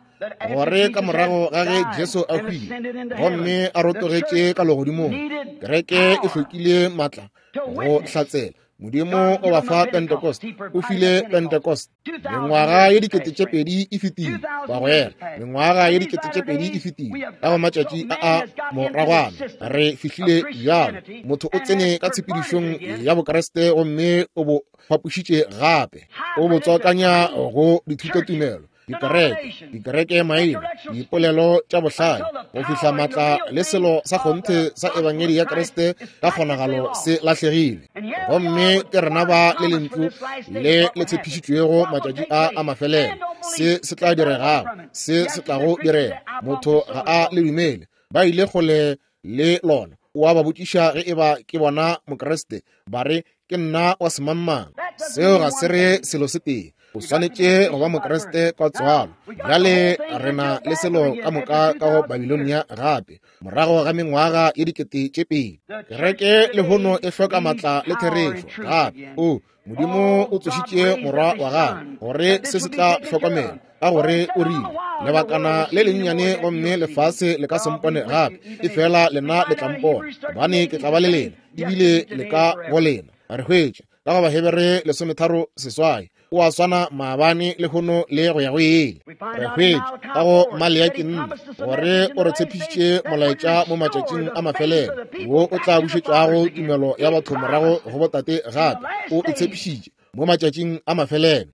gore ka morago ga ge Jesu a hwile gomme a rotogetše ka legodimong, kereke e hlokile matla go hlatsela. Modimo o ba fa Pentecost, o file Pentecost. Mengwaga ye dikete tše pedi e fetile, bagwera, mengwaga ye dikete tše pedi e fetile. Ka go matšatši a a moragwana re fihlile bjalo. Motho o tsene ka tshepedišong ya Bokreste gomme o bo fapošitše gape, o bo tswakanya go dithutotumelo, dikereke, dikereke maina, dipolelo tša bohlale, go fihla matla le selo sa kgonthe sa ebangedi ya Kriste ka kgonagalo se lahlegile. Gomme ke rena ba le lentšu le le tshepišitšwego matšatši a a mafelelo. Se se tla diregago, se se tlago direga, motho ga a le dumele. Ba ile kgole le lona. O a ba botšiša ge e ba ke bona Mokriste, ba re ke nna wa semangmang. Seo ga se re selo se tee. O swanetše go ba Mokriste ka tswalo. Bjale re na le selo ka moka ka go Babilonia gape, morago ga mengwaga ye dikete tše pedi. Kereke lehono e hloka matla le therešo gape. O Modimo o tsošitše morwa wa gagwe gore se se tla hlokomela, ka gore o rile lebakana le lennyane gomme lefase le ka se mpone gape, efela lena le tla mpona, gobane ke tla ba le lena ebile le ka go lena. Re hwetša ka go Bahebere lesometharo seswai, o a swana maabane lehono le go ya go ile. Re hwetša ka go Maleaki nne gore o re tshepišitše molaetša mo matšatšing a mafelelo, wo o tla bušetšago tumelo ya batho morago go botate gape. O e tshepišitše mo matšatšing a mafelelo.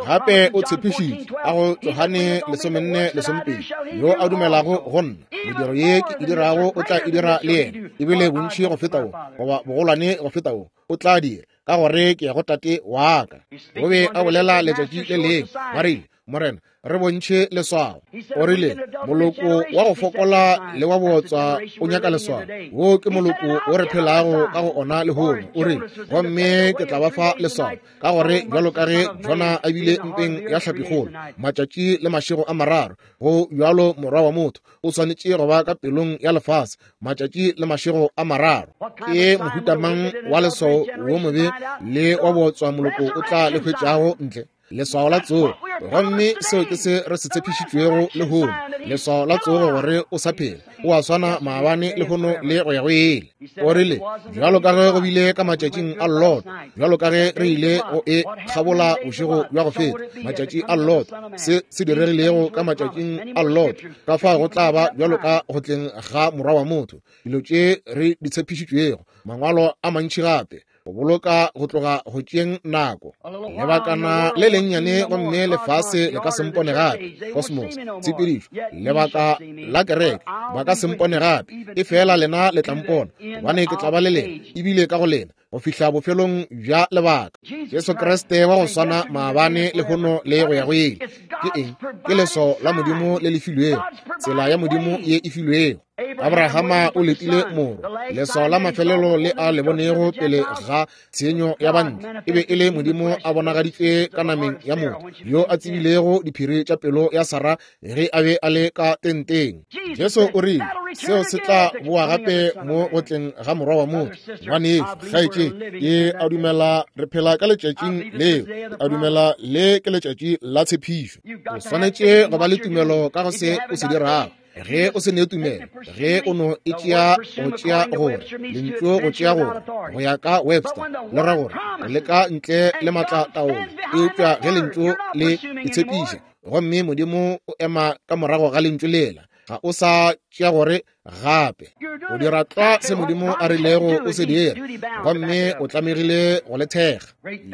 Gape o tshepišitše ka go Johane lesomenne lesomepedi, yo a dumelago go nna, mediro ye ke e dirago o tla e dira le yena, ebile bontši go feta wo, goba bogolwane go feta wo, o tla dira, ka gore ke ya go Tate wa ka. O be a bolela letšatši le lengwe, ba rile Morena, re bontšhe leswao. O rile moloko wa go fokola le wa bootswa o nyaka leswao. Wo ke moloko wo re phelago ka go ona lehono. O rile gomme ke tla ba fa leswao, ka gore bjalo ka ge Jona a bile mpeng ya hlapikgolo matšatši le mašego a mararo, go bjalo morwa wa motho o swanetše go ba ka pelong ya lefase matšatši le mašego a mararo. Ke mohuta mang wa leswao wo mobe le wa bootswa moloko o tla le hwetšago ntle? Leswao la tsogo. Gomme seo ke se re se tshepišitšwego lehono, leswao la tsogo, gore o sa phela, o a swana maabane lehono le go ya go ile. O rile bjalo ka ge go bile ka matšatšing a Lot, bjalo ka ge re ile go e kgabola bošego bja go feta, matšatši a Lot, se se diregilego ka matšatšing a Lot, ka fao go tla ba bjalo ka go tleng ga morwa wa motho. Dilo tše re di tshepišitšwego, mangwalo a mantši gape, go boloka go tloga go tšeeng nako. Lebakana le lennyane gomme lefase le ka se mpone gape. Cosmos, tshepedišo, lebaka la kereke, ba ka se mpone gape, efela lena le tla mpona, gobane ke tla ba le lena ebile ka go lena go fihla bofelong bja lebaka. Jesu Kriste wa go swana maabane lehono le go ya go ile. Ke eng? Ke leso la Modimo le le filwego, tsela ya Modimo ye e filwego. Abrahama o letile moro, leswao la mafelelo le a le bonego pele ga tshenyo ya bantle e be e le Modimo a bonagaditšwe ka nameng ya motho, yo a tsebilego diphiri tša pelo ya Sara ge a be a le ka tenteng. Jesu o rile seo se tla boa gape mo go tleng ga morwa wa motho. Ngwanešu, kgaetšedi, ke a dumela re phela ka letšatšing leo. Ke a dumela le ke letšatši la tshepišo. O swanetše go ba le tumelo ka go se o se dirago. Ge o se ne tumelo, ge o no e tšea go tšea gore lentšu go tšea gore go ya ka Webster le ra gore go leka ntle le matla taolo, eupša ge lentšu le itshepiša gomme Modimo o ema ka morago ga lentšu lela, ga o sa tšea gore gape o dira tlwa se Modimo a rilego o se dira, gomme o tlamegile go le thekga.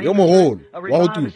Yo mogolo wa go tuma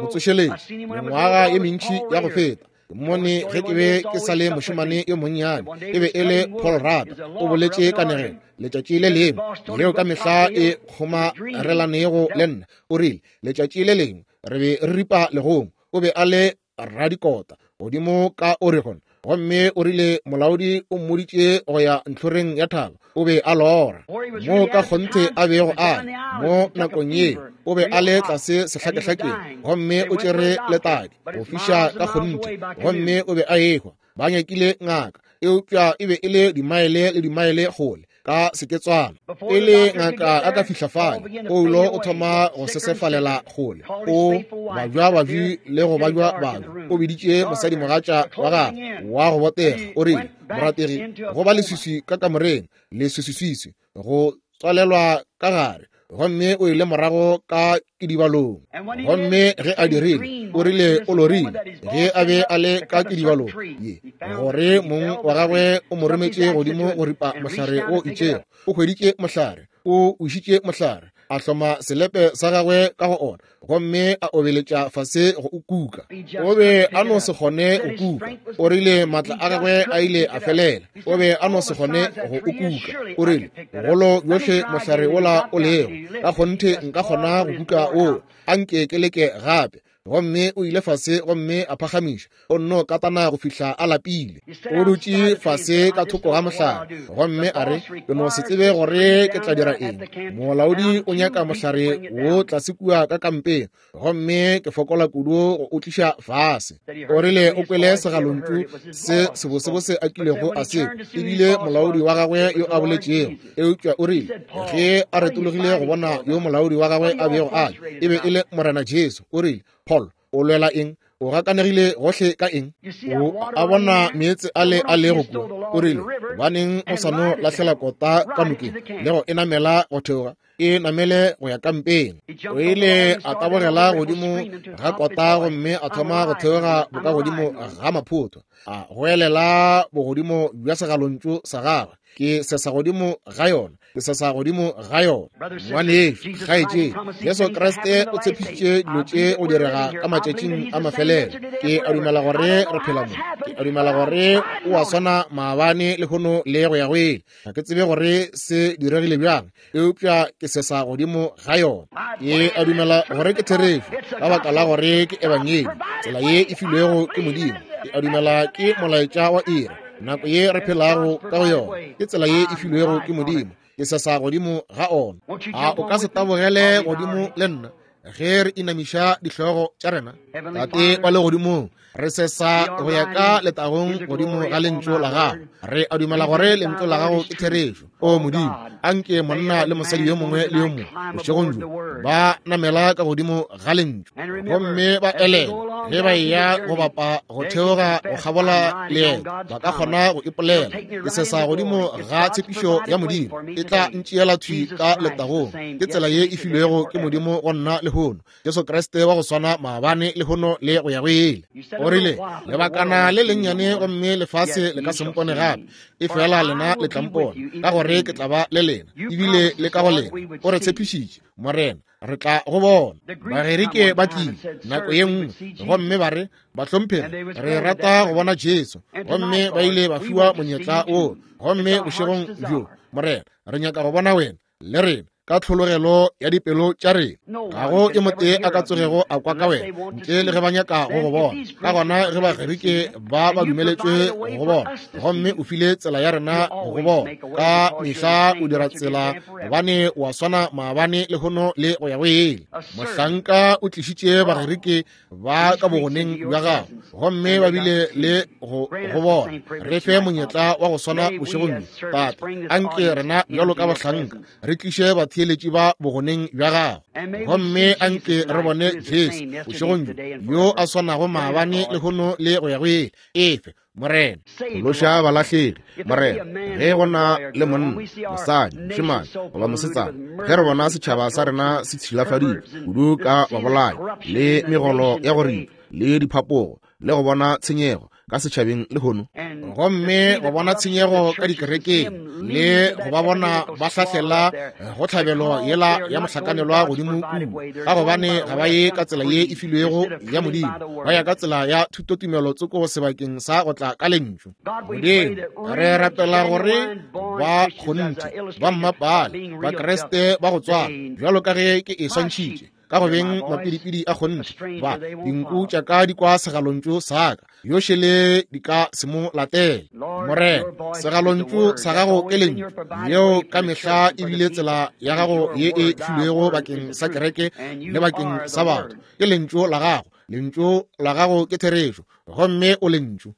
motsošeletši mengwaga ye mentši ya go feta, mone ge ke be ke sa le mošemane yo monnyane, e be e le Paul Rader, o boletše kanegelo letšatši le lengwe leo ka mehla e kgomarelanego le nna. O rile letšatši le lengwe re be re ripa legong, o be a le radikota godimo ka Oregon, gomme o rile molaodi o mmoditše go ya ntlhoreng ya thaba. O be a lora mo ka kgonthe a bego a mo nakong ye o be a le tlase sehlakehlakeng, gomme o tšere letadi go fiša ka kgonthe, gomme o be a ehwa. Ba nyakile ngaka, eupša e be e le dimaele le dimaele kgole ka seketswana. Pele ngaka a ka fihla fale, Paulo o thoma go sesefalela kgole, o bajwa babi le go bajwa babi. O biditše mosadimogatša wa gagwe wa go botega, o rile, morategi, go ba leswiswi ka kamoreng, leswiswiswiswi go tswalelwa ka gare. Gomme o ile morago ka kidibalong, gomme ge a dirile, o rile o lorile ge a be a le ka kidibalong ye gore mong wa gagwe o mo rometše godimo go ripa mohlare o itšego. O hweditše mohlare, o ušitše mohlare, a hloma selepe sa gagwe ka go ona, gomme a obeletša fase go o kuka. O be a no se kgone go kuka. O rile matla a gagwe a ile a felela. O be a no se kgone go o kuka. O rile bogolo bjohle mohlare wola o lego, ka kgonthe nka kgona go kuka o, anke ke leke gape. Gomme o ile fase gomme a phagamiša, o nno katana go fihla a lapile. O dutše fase ka thoko ga mohlare, gomme a re, ke no se tsebe gore ke tla dira eng. Molaodi o nyaka mohlare wo tlase kua ka kampeng, gomme ke fokola kudu go o tliša fase. O rile o kwele segalontšu se sebosebose a kilego a se, ebile molaodi wa gagwe yo a boletšego. Eupša o rile ge a retologile go bona yo molaodi wa gagwe a bego a le, e be e le Morena Jesu. O rile, Paul, o lwela eng? O gakanegile gohle ka eng? O a bona meetse a le a lego kua. O rile, gobaneng o sa no lahlela kota ka nokeng le go e namela go theoga, e namele go ya kampeng. O ile a tabogela godimo ga kota gomme a thoma go theoga bokagodimo ga maphotho, a goelela bogodimo bja segalontšu sa gagwe, ke sesa godimo ga yona, ke sesa godimo ga yona. Ngwanešu, kgaetšedi, Jesu Kriste o tshepišitše dilo tše go direga ka matšatšing a mafelelo. Ke a dumela gore re phela mo. Ke a dumela gore o a swana maabane lehono le go ya go ile. Ga ke tsebe gore se diregile bjang, eupša ke sesa godimo ga yona. Ke a dumela gore ke therešo ka baka la gore ke ebangedi, tsela ye e filwego ke Modimo. Ke a dumela ke molaetša wa iri, nako ye re phelago ka go yona, ke tsela ye e filwego ke Modimo. Ke sesa godimo ga ona. A o ka se tabogele godimo le nna ge re inamiša dihlogo tša rena? Tate wa legodimong, re sesa go ya ka letagong godimo ga lentšu la gago. Re a dumela gore lentšu la gago ke therešo. O Modimo, anke monna le mosadi yo mongwe le yo mongwe bošegong bjo ba namela ka godimo ga lentšu, gomme ba elele ge ba eya go bapa go theoga go kgabola leeto, ba ka kgona go ipolela, ke sesa godimo ga tshepišo ya Modimo, e tla ntšeela thwi ka letagong. Ke tsela ye e filwego ke Modimo go nna lehono, Jesu Kriste wa go swana maabane lehono le go ya go ile. O rile lebakana le lennyane gomme lefase le ka se mpone gape, e fela lena le tla mpona, ka gore ke tla ba le lena ebile le ka go lena. O re tshepišitše, Morena, re tla go bona. Bagerike ba tlile nako ye nngwe gomme ba re, bahlomphegi, re rata go bona Jesu, gomme ba ile ba fiwa monyetla wo. Gomme bošegong bjo, Morena, re nyaka go bona wena le rena. ka tlhologelo ya dipelo tša rena. Ga go e motee a ka tsogego a kwa ka wena ntle le ge ba nyaka go go bona. Ka gona ge Bagerike ba ba dumeletšwe go bona, gomme o file tsela ya rena go go bona. Ka mehla o dira tsela, gobane wa swana maabane lehono le go ya go ile. Mohlanka o tlišitše Bagerike ba ka bogoneng bja gago, gomme ba bile le go go bona. Re fe monyetla wa go swana bošegong bjo, Tate. Anke rena bjalo ka bahlanka re tliše batheeletši ba bogoneng bja gago, gomme anke re bone Jesu bošegong bjo, yo a swanago maabane lehono le go ya go ile. Efe, Morena. Phološa balahlegi, Morena. Ge go na le monna, mosadi, mošemane goba mosetsana, ge re bona setšhaba sa rena se tšhilafaditšwe kudu ka babolai le megolo ya go ripa le diphapogo, le go bona tshenyego ka setšhabeng lehono, gomme go bona tshenyego ka dikerekeng, le go ba bona ba hlahlela go tlhabelo yela ya mohlakanelwa godimo kudu, ka gobane ga ba ye ka tsela ye e filwego ya Modimo, ba ya ka tsela ya thutotumelo tsoko sebakeng sa go tla ka lentšu. Modimo, re rapela gore ba kgonthe ba mmapale ba Kriste ba go tswala, bjalo ka ge ke e swantšhitše ka go beng mapidipidi a kgonthe, ba dinku tša ka di kwa segalontšu sa ka, yošele di ka se mo latele. Morena, segalontšu sa gago ke lentšu, yeo ka mehla e bile tsela ya gago ye e filwego bakeng sa kereke le bakeng sa batho. Ke lentšu la gago, lentšu la gago ke therešo, gomme o lentšu.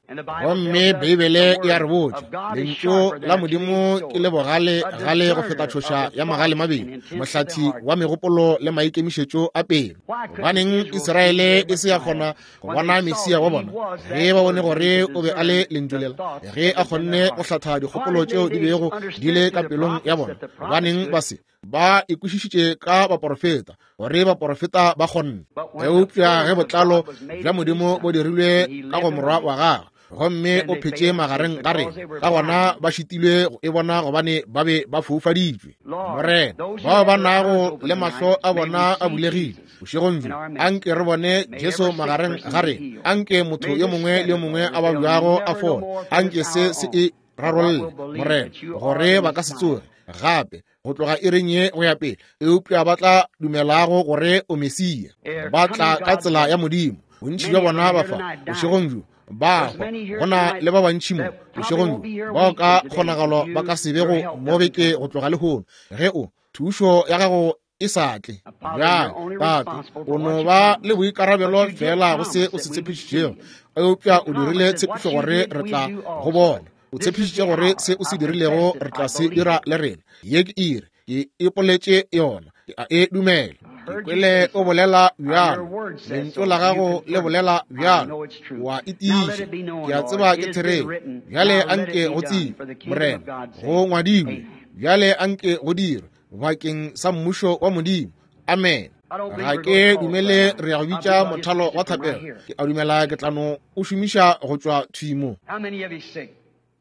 Gomme Beibele e a re botša, lentšu la Modimo ke le bogale gale go feta tšhoša ya magale mabedi, mohlathi wa megopolo le maikemišetšo a pelo. Gobaneng Israele e se ya kgona go bona Mesia wa bona ge ba bone gore o be a le lentšu lela, ge a kgonne go hlatha dikgopolo tšeo di bego di le ka pelong ya bona? Gobaneng ba se ba ikwešišitše ka baporofeta, gore baporofeta ba kgonne? Eupša ge botlalo bja Modimo bo dirilwe ka go morwa wa gagwe, gomme o phetše magareng ga rena, ka gona ba šitilwe go e bona gobane ba be ba foufaditšwe. Morena, bao ba nago le mahlo a bona a bulegile bošegong bjo, anke re bone Jesu magareng ga rena. Anke motho yo mongwe le yo mongwe a babjago a fole. Anke se se e rarolle, Morena, gore ba ka se tsoge gape go tloga iring ye go ya pele, eupša ba tla dumelago gore o Mesia. Ba tla ka tsela ya Modimo. Bontši bja bona ba fa bošegong bjo ba hwa. Go na le ba bantši mo bošegong bjo bao ka kgonagalo ba ka se bego mo beke go tloga lehono, ge o thušo ya gago e sa tle. Bjale, Tate, o no ba le boikarabelo fela go se o se tshepišitšego, eupša o dirile tshepišo gore re tla go bona. O tshepišitše gore se o se dirilego re tla se dira le rena. Ye ke iri, ke ipoletše yona, ke a e dumela. Ke kwele o bolela bjalo, lentšu la gago le bolela bjalo, wa e tiiša. Ke a tseba ke therešo. Bjale anke go tsebe, Morena, go ngwadilwe. Bjale anke go dirwe bakeng sa mmušo wa Modimo. Amen. Ga ke dumele re ya go bitša mothalo wa thapelo. Ke a dumela ke tla no o šomiša go tšwa thwi mo.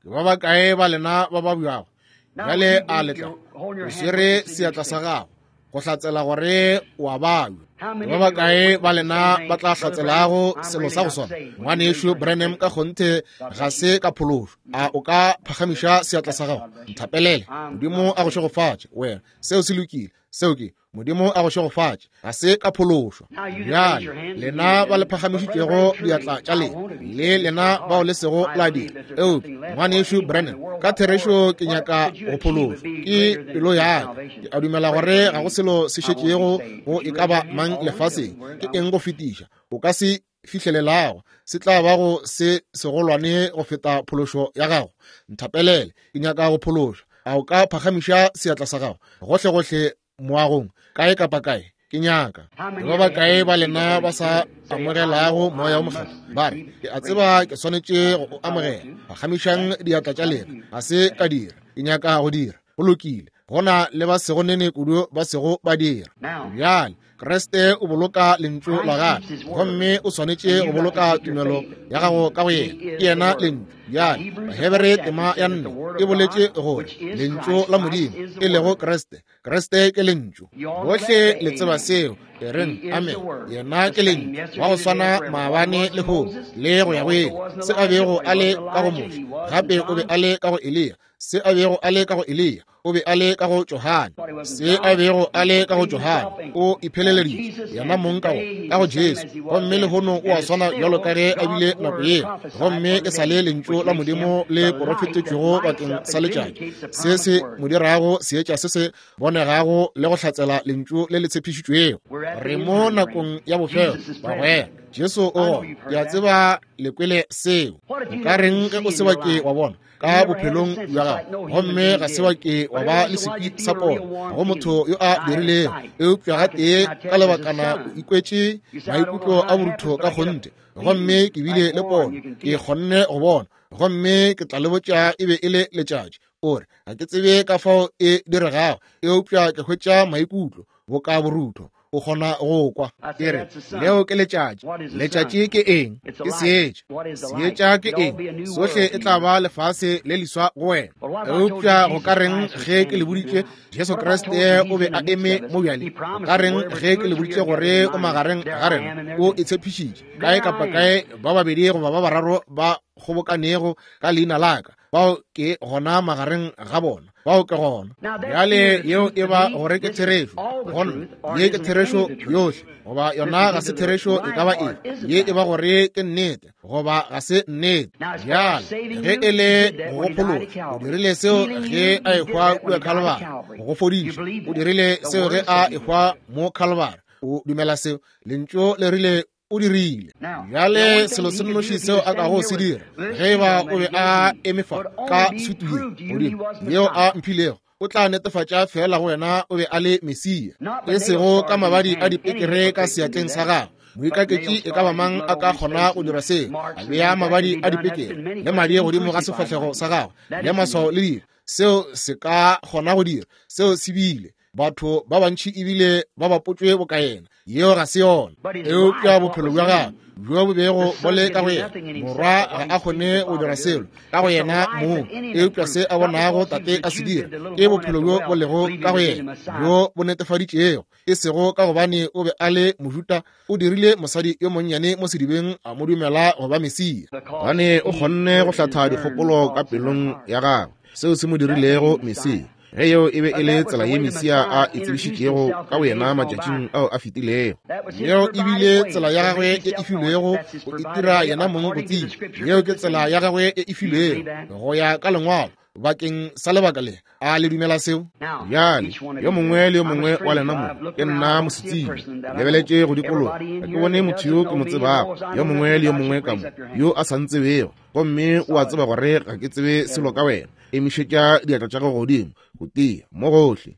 Ke ba bakae ba lena ba babjago? Bjale a letla o swere seatla sa gago go hlatsela gore o a babja. Ke ba bakae ba lena ba tla hlatselago selo sa go swana? Ngwanešu Branham, ka kgonthe ga se ka phološo. A o ka phagamiša seatla sa gago? Nthapelele. Modimo a go šegofatše wena. Seo se lokile. Seo ke Modimo a go šegofatše. Ga se ka phološo. Bjale lena ba le phagamišitšego diatla tša lena, le lena bao le sego la dira, eupša ngwanešu Branham, ka therešo ke nyaka go phološwa. Ke pelo ya ka. Ke a dumela gore ga go selo se šetšego go e ka ba mang lefaseng. Ke eng go fetiša o ka se fihlelelago se tla ba go se segolwane go feta phološo ya gago? Nthapelele, ke nyaka go phološwa. A o ka phagamiša seatla sa gago gohlegohle moagong, kae kapa kae? Ke nyaka. Ke ba bakae ba lena ba sa amogelago moya o mokgethwa? Ba re, ke a tseba ke swanetše go o amogela. Phagamišang diatla tša lena. Ga se ka dira. Ke nyaka go dira. Go lokile. Go na le ba sego nene kudu ba sego ba dira. Bjale Kriste o boloka lentšu la gagwe, gomme o swanetše go boloka tumelo ya gago ka go yena. Ke yena lentšu. Bjale Bahebere tema ya nne e boletše gore lentšu la Modimo e lego Kriste, Kriste ke lentšu. Bohle le tseba seo. E reng amen. Yena ke lentšu wa go swana maabane le lehono le go ya go ile. Se a bego a le ka go Moshe, gape o be a le ka go Eliya. Se a bego a le ka go Eliya, o be a le ka go Johane. Se a bego a le ka go Johane, o ipheleleditše yena mong ka go ka go Jesu. Gomme lehono o a swana bjalo ka ge a bile nako yeo, gomme e sa le lentšu la Modimo le porofetetšwego bakeng sa letšatši. Se se mo dirago seetša se se bonegago le go hlatsela lentšu le le tshepišitšwego. Re mo nakong ya bofelo, bagwera. Jesu o gona. Ke a tseba le kwele seo. O ka reng ge o se wa ke wa bona ka bophelong bja gago, gomme ga se wa ke wa ba le sekwi sa pono go motho yo a dirilego, eupša gatee ka lebakana o ikwetše maikutlo a borutho ka kgonthe, gomme ke bile le pono, ke kgonne go bona, gomme ke tla le botša e be e le letšatši. O re ga ke tsebe ka fao e diregago, eupša ke hwetša maikutlo boka borutho. O kgona go kwa. Ke re leo ke letšatši. Letšatši ke eng? Ke seetša. Seetša ke eng? Sohle e tla ba lefase le leswa go wena. Eupša go ka reng ge ke le boditše Jesu Kriste o be a eme mo bjale? Go ka reng ge ke le boditše gore o magareng ga rena? O e tshepišitše. Kae kapa kae ba babedi goba ba bararo ba kgobokanego ka leina la ka, bao ke gona magareng ga bona, bao ke gona. Bjale yeo e ba gore ke therešo gona, ye ke therešo yohle, goba yona ga se therešo e ka ba eng. Ye e ba gore ke nnete goba ga se nnete. Bjale ge e le go phološa, o dirile seo ge a ehwa kua Calvary. Go fodiša, o dirile seo ge a ehwa mo Calvary. O dumela seo? Lentšu le rile o dirile. Bjale selo se nnoši seo a kago se dira, ge ba o be a eme fa ka sutu ye godimo yeo a mphilego, o tla netefatša fela go wena o be a le Mesia, e sego ka mabadi a dipekere ka seatleng sa gagwe. Moikaketši e ka ba mang a ka kgona go dira seo, a bea mabadi a dipekere le madi godimo ga sefahlego sa gagwe le maswao le dilo. Seo se ka kgona go dira seo se bile. Batho ba bantši ebile ba bapotšwe boka yena. Yeo ga se yona. Eupša bophelo bja gagwe bjo bo bego bo le ka go yena, morwa ga a kgone go dira selo ka go yena mong, eupša se a bonago tate a se dira ke bophelo bjo bo lego ka go yena, bjo bo netefaditšego. E sego ka gobane o be a le Mojuda, o dirile mosadi yo monnyane mo sedibeng a mo dumela go ba Mesia, gobane o kgonne go hlatha dikgopolo ka pelong ya gagwe, seo se mo dirilego Mesia. Ge yeo e be e le tsela ye Mesia a e tsebišitšego ka boyena matšatšing ao a fetilego, yeo e bile tsela ya gagwe e e filwego go itira yena mong go tseba. Yeo ke tsela ya gagwe e e filwego go ya ka lengwalo bakeng sa lebaka le. A le dumela seo? Bjale yo mongwe le yo mongwe wa lena mo, ke nna mosetsebje, lebeletše go dikologa, ga ke bone motho yo ke mo tsebago, yo mongwe le yo mongwe ka mo yo a sa ntsebego, gomme o a tseba gore ga ke tsebe selo ka wena. Emišetša diatla tša gago godimo go tia mo gohle.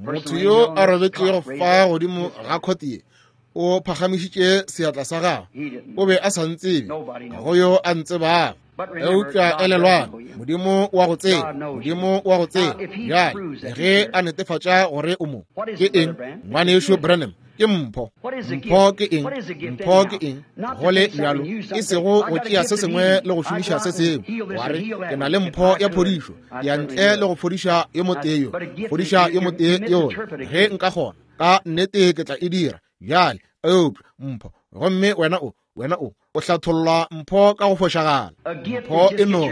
Motho yo a robetšego fa godimo ga khote ye o phagamišitše seatla sa gagwe. O be a sa ntsebe, ga go yo a ntsebago. Eupša elelwang, Modimo wa go tseba, Modimo wa go tseba. Bjale ge a netefatša gore o mo, ke eng ngwanešo Branham? Ke mpho. Mpho ke eng? Mpho ke eng? Go le bjalo, e sego go tšea se sengwe le go šomiša se sengwe. Wa re ke na le mpho ya phodišo, ke ya ntle le go fodiša yo motee yo, fodiša yo motee yola. Ge nka kgona, ka nnete ke tla e dira. Bjale eupša mpho, gomme wena o wena o o hlatholla mpho ka go fošagala. Mpho e no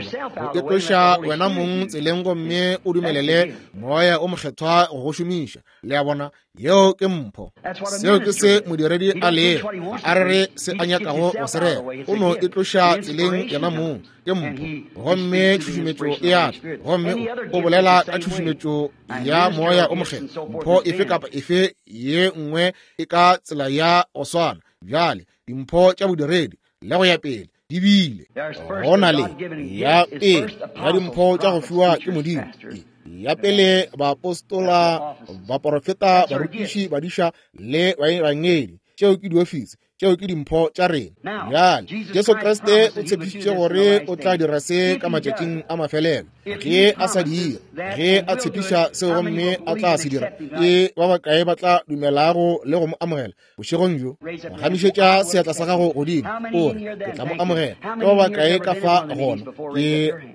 go itloša wena mong tseleng, gomme o dumelele moya o mokgethwa go go šomiša. Le a bona, yeo ke mpho. Seo ke se modiredi a lego, a re re se a nyakago go se rera, o no itloša tseleng yena mong. Ke mpho, gomme tšhušumetšo e a tla, gomme o bolela ka tšhušumetšo ya moya o mokgethwa. Mpho efe kapa efe ye nngwe e ka tsela ya go swana. Bjale dimpho tša bodiredi le go ya pele di bile gona le ya pele ya dimpho tša go fiwa ke Modimo. Ya pele baapostola, baporofeta, barutiši, badiša le baebangedi. Tšeo ke diofisi, tšeo ke dimpho tša rena. Bjale Jesu Kriste o tshepišitše gore o tla dira se ka matšatšing a mafelelo. Ge a sa dira, ge a tshepiša seo gomme a tla se dira, ke ba bakae ba tla dumelago le go mo amogela bošegong bjo? Phagamišetša seatla sa gago godimo o re, ke tla mo amogela. Ke ba bakae ka fa gona? Ke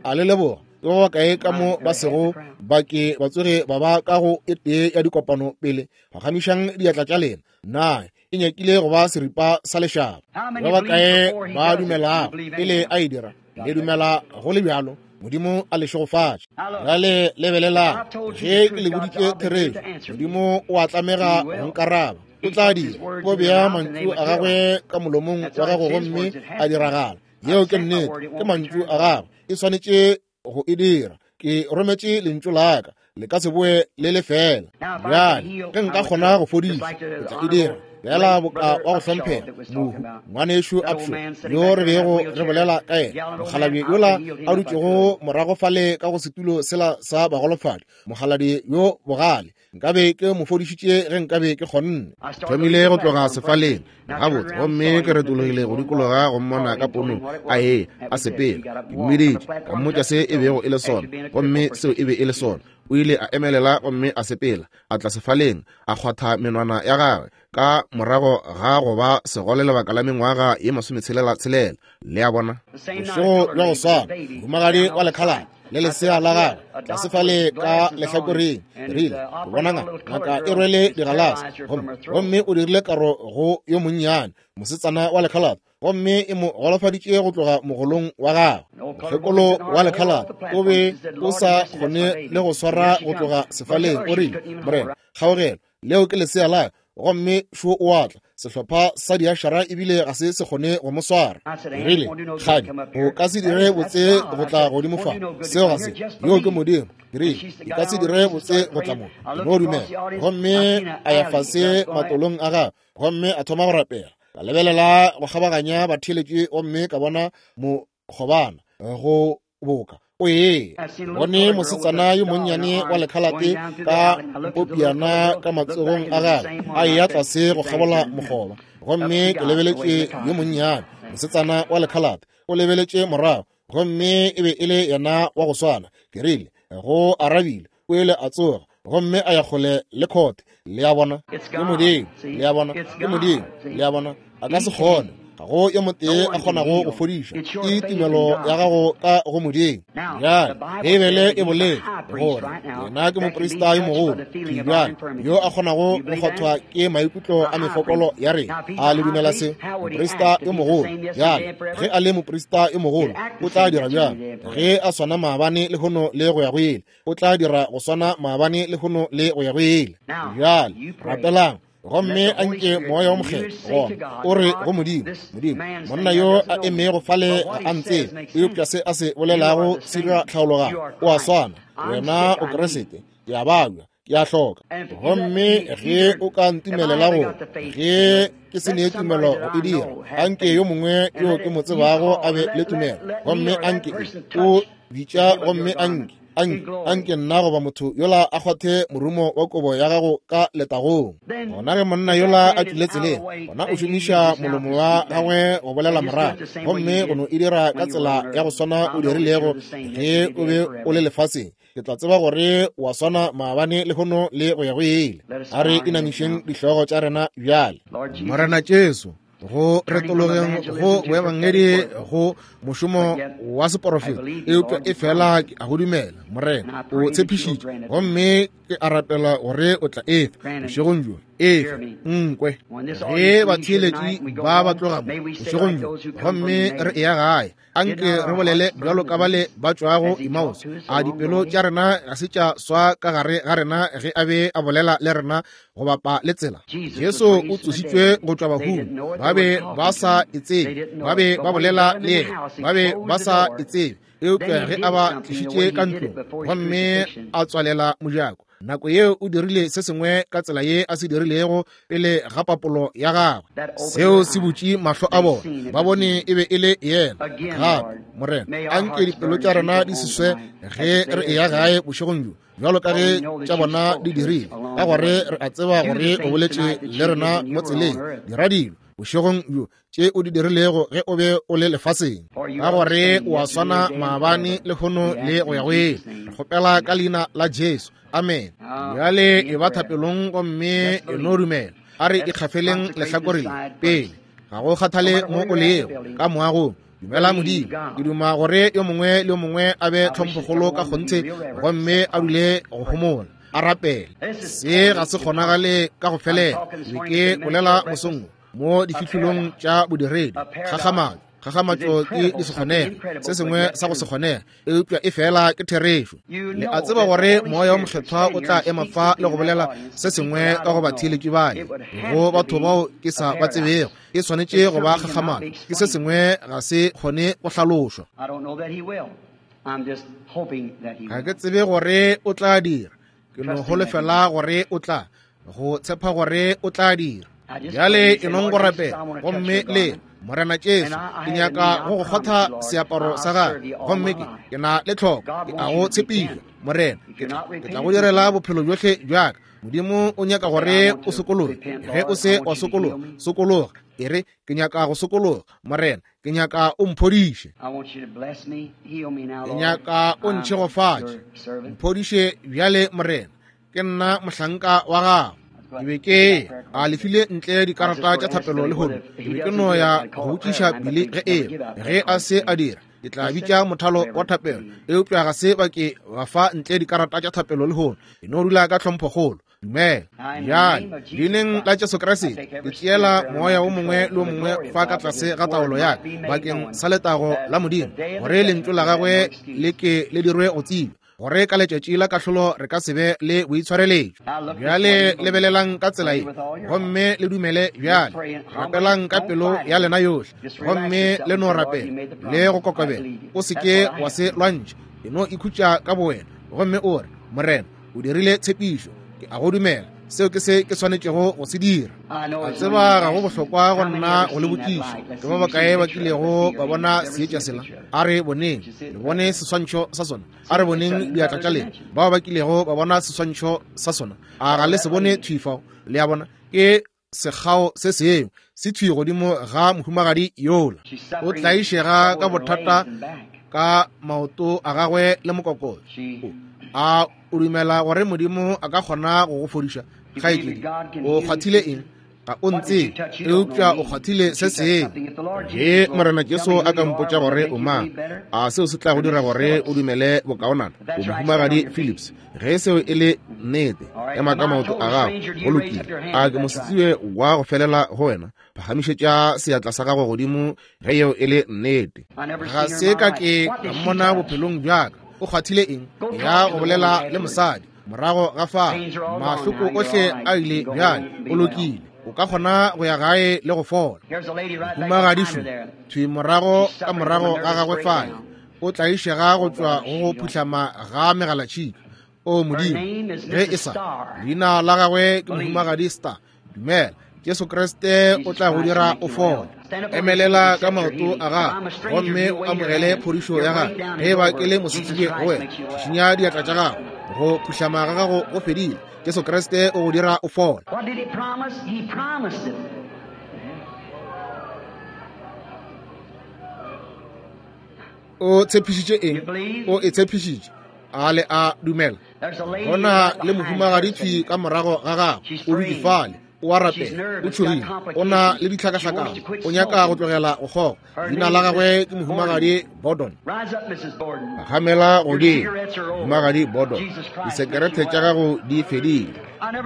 a le leboga. Ke ba bakae ka mo ba sego ba ke ba tsoge ba ba ka go e tee ya dikopano pele? Phagamišang diatla tša lena. Na e nyakile go ba seripa sa lešaba. Ba bakae ba dumelago pele a e dira? Le dumela go le bjalo? Modimo a le šegofatše. Bjale lebelelang, ge ke le boditše therešo, Modimo o a tlamega go nkaraba. O tla dira, o bea mantšu a gagwe ka molomong wa gago gomme a diragala. Yeo ke nnete, ke mantšu a gagwe, e swanetše go e dira. Ke rometše lentšu la ka, le ka se boe le lefela. Bjale ge nka kgona go fodiša, ke tla e dira. Bjala boka wa go hlomphega mohu ngwanešu Upshaw yo re bego re bolela ka yena, mokgalabje yola a dutšego morago fale ka go setulo sela sa bagolofadi, mokgalabje yo bogale, nkabe ke mo fodišitše ge nkabe ke kgonne. Thomile go tloga sefaleng gabotse, gomme ke retologile go dikologa go mmona ka ponong a e a sepela. Ke mmiditše, ka mmotša se e bego e le sona, gomme seo e be e le sona. O ile a emelela gomme a sepela, a tla sefaleng, a kgwatha menwana ya gagwe ka morago ga go ba segole lebaka la mengwaga ye masometshelela tshelela. Le a bona? Bošego bja go swana, mohumagadi wa lekhalane le lesea la gagwe tlase fale ka lehlakoreng, rile ke bona ngaka e rwele digalase, gomme gomme o dirile karo go yo monnyane mosetsana wa lekhalate, gomme e mo golofaditše go tloga mogolong wa gagwe. Mokgekolo wa lekhalate o be o sa kgone le go swara go tloga sefaleng. O rile, Morena, kgaogelo, leo ke lesea la ka. Gomme šo o atla, sehlopha sa diašara ebile ga se se kgone go mo swara. Rile, kgadi, o ka se dire botse go tla godimo fa. Seo ga se, yo ke Modimo. Rile, e ka se dire botse go tla mo, no dumela. Gomme a ya fase matolong a gagwe, gomme a thoma go rapela. Ka lebelela go kgabaganya batheeletši gomme ka bona mokgobana go boka o ee. Bone mosetsana yo monnyane wa lekhalate ka mpopiana ka matsogong a gagwe a eya tlase go kgabola mokgoba, gomme ke lebeletše yo monnyane mosetsana wa lekhalate o lebeletše morago, gomme e be e le yena wa go swana. Ke rile go arabile, o ile a tsoga gomme a ya kgole le khote. Le a bona? Ke Modimo. Le a bona? Ke Modimo. Le a bona? A ka se kgone, ga go yo motee a kgonago go fodiša. Ke tumelo ya gago ka go Modimo. Bjale Beibele e boletše gore yena ke moprista yo mogolo bjale yo a kgonago go kgwathwa ke maikutlo a mefokolo ya rena. A le dumela se? Moprista yo mogolo bjale, ge a le moprista yo mogolo, o tla dira bjang? Ge a swana maabane lehono le go ya go ile, o tla dira go swana maabane lehono le go ya go ile. Bjale rapelang, gomme a nke moya wa mokgethwa gona o re go Modimo, Modimo, monna yo a emego fale ga a ntsebe, eupša se a se bolelago se dira tlhaologanyo. O a swana, wena o Kriste, ke a babja, ke a hloka. Gomme ge o ka ntumelela go, ge ke se ne tumelo go e dira, anke yo mongwe yo ke mo tsebago a be le tumelo, gomme anke o bitša, gomme anke anke anke nna goba motho yola a kgwathe morumo wa kobo ya gago ka letagong. Gona ge monna yola a tšwile tseleng, gona o šomiša molomo wa gagwe go bolela morago, gomme go no e dira ka tsela ya go swana o dirilego ge o be o le lefaseng. Ke tla tseba gore wa swana maabane lehono le go ya go ile. A re inamišeng dihlogo tša rena bjale. Morena Jesu, go retologeng go boebangedi go mošomo wa seporofeta, eupša e fela ke a go dumela, Morena, o tshepišitše, gomme ke a rapela gore o tla efa bošegong bjo, efa nkwe ge batheeletši ba ba tloga mo bošegong bjo, gomme re eya gae, anke re bolele bjalo ka bale ba tšwago Emmaus. A dipelo tša rena ga se tša swa ka gare ga rena ge a be a bolela le rena go bapa le tsela? Jesu o tsošitšwe go tšwa bahung, ba be ba sa e tsebe, ba be ba bolela le yena, ba be ba sa e tsebe, eupša ge a ba tlišitše ka ntlong gomme a tswalela mojako, nako yeo o dirile se sengwe ka tsela ye a se dirilego pele ga papolo ya gagwe. Seo se butše mahlo a bona, ba bone e be e le yena. Gape, Morena, anke dipelo tša rena di se swe ge re eya gae bošegong bjo, bjalo ka ge tša bona di dirile. ka gore re a tseba gore o boletše le rena mo tseleng. Dira dilo bošegong bjo tše o di dirilego ge o be o le lefaseng, ka gore o a swana maabane lehono le go ya go ile. Re kgopela ka leina la Jesu, amen. Bjale e ba thapelong gomme e no dumela. A re ikgafeleng lehlakore le pele, ga go kgathale mo o lego ka moagong. Dumela Modimo. Ke duma gore yo mongwe le yo mongwe a be tlhomphokgolo ka kgonthe gomme a dule go homola, a rapele. Se ga se kgonagale ka go felela. Be ke bolela mosong mo difihlolong tša bodiredi. Kgakgamatšo, kgakgamatšo ke di se kgonege, se sengwe sa go se kgonege, eupša e fela ke therešo. Le a tseba gore moya wa mokgethwa o tla ema fa le go bolela se sengwe ka go batheeletši bale, go batho bao ke sa ba tsebego. E swanetše go ba kgakgamatšo, ke se sengwe ga se kgone go hlalošwa. Ga ke tsebe gore o tla dira, ke no holofela gore o tla, go tshepa gore o tla dira. Bjale e nong go rapela gomme le Morena Jesu, ke nyaka go go kgotha seaparo sa gagwe, gomme ke ke na le tlhoko, ke a go tshepiša Morena, ke tla go direla bophelo bjohle bjaka. Modimo o nyaka gore o sokologe. Ge o se wa sokologa, sokologa. E re, ke nyaka go sokologa Morena, ke nyaka o mphodiše, ke nyaka o ntšhegofatše, mphodiše bjale Morena, ke nna mohlanka wa gago. Ke be ke a lefile ntle dikarata tša thapelo lehono. Ke be ke no ya go botšiša Billy ge e ge a se a dira, ke tla bitša mothalo wa thapelo, eupša ga se ba ke ba fa ntle dikarata tša thapelo lehono. E no dula ka tlhomphokgolo. Dumela. Bjale leineng la Jesu Kriste ke tšeela moya wo mongwe le wo mongwe fa ka tlase ga taolo ya ka bakeng sa letago la Modimo, gore lentšu la gagwe le ke le dirwe go tsebja, gore ka letšatši la kahlolo re ka se be le boitshwareletšo. Bjale lebelelang ka tsela ye gomme le dumele. Bjale rapelang ka pelo ya lena yohle gomme le no rapela le go kokobela. O se ke wa se lwantšha, e no ikhutša ka bowena gomme o re, Morena, o dirile tshepišo, ke a go dumela, seo ke se ke swanetšego go se dira. A tseba ga go bohlokwa go nna go le botšiša ke ba bakae ba kilego ba bona seetša sela. A re boneng, le bone seswantšho sa sona. A re boneng diatla tša lena, bao ba kilego ba bona seswantšho sa sona. A ga le se bone thwi fao? Le a bona, ke sekgao se sengwe se thwi godimo ga mohumagadi yola. O tlaišega ka bothata ka maoto a gagwe le mokokotlo. A o dumela gore Modimo a ka kgona go go fodiša? Kgaetšedi, o kgwathile eng? Ga o ntsebe, eupša o kgwathile se sengwe. Ge Morena Jesu a ka mpotša gore o mang, a seo se tla go dira gore o dumele bokaonana? O mohumagadi Phillips, ge seo e le nnete, ema ka maoto a gago. Go lokile. A ke mosetsebje wa go felela go wena? Phagamišetša seatla sa gago godimo ge yeo e le nnete. Ga se ka ke ka mmona bophelong bjaka. O kgwathile eng? Ya go bolela le mosadi morago ga fao, mahloko ohle a ile. Bjale o lokile, o ka kgona go ya gae le go fola. Mohumagadi šo thwi morago ka morago ga gagwe fale, o tlaišega go tšwa go go phuhlama ga megalatšhika. O Modimo, ge e sa leina la gagwe ke mohumagadi Star. Dumela, Jesu Kriste o tla go dira o fole. Emelela ka maoto a gago gomme o amogele phodišo ya gago. Ge ba ke le mosetsebje go wena, šišinya diatla tša gago. Go phuhlama ga gago go fedile. Jesu Kriste o go dira o fole. O tshepišitše eng? O e tshepišitše. A le a dumela? Gona le mohumagadi thwi ka morago ga gago, o dutše fale, o a rapela, o tšhogile, o na le ditlhakahlakano, o nyaka go tlogela go kgoga. Leina la gagwe ke mohumagadi Bordon. Phagamela godimo, mohumagadi Bordon, disekerete tša gago di fedile.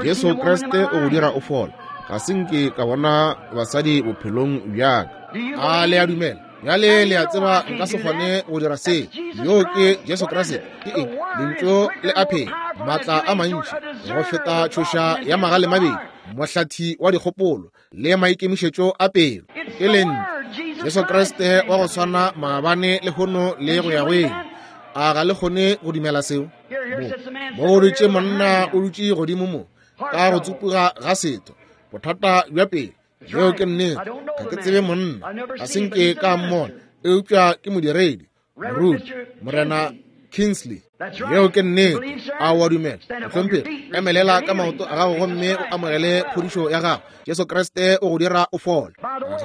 Jesu Kriste o go dira o fole. Ga se nke ka bona basadi bophelong bjaka. A le a dumela? Bjale le a tseba nka se kgone go dira se. Yo ke Jesu Kriste. Ke eng? Lentšu le a phela, maatla a mantši go feta tšhoša ya magale mabedi, mohlathi wa dikgopolo le maikemišetšo a pelo. Ke lentšu, Jesu Kriste wa go swana maabane lehono le go ya go ile. A ga le kgone go dumela seo? Mo go dutše monna o dutše godimo mo ka go tsupuga ga setho, bothata bja pelo. Yeo ke nnete. Ga ke tsebe monna, ga se nke ka mmona, eupša ke modiredi, moruti, Morena Kingsley. Yeo ke nnete. A o a dumela? Mohlomphegi, emelela ka maoto a gago gomme o amogele phodišo ya gago. Jesu Kriste o go dira o fole.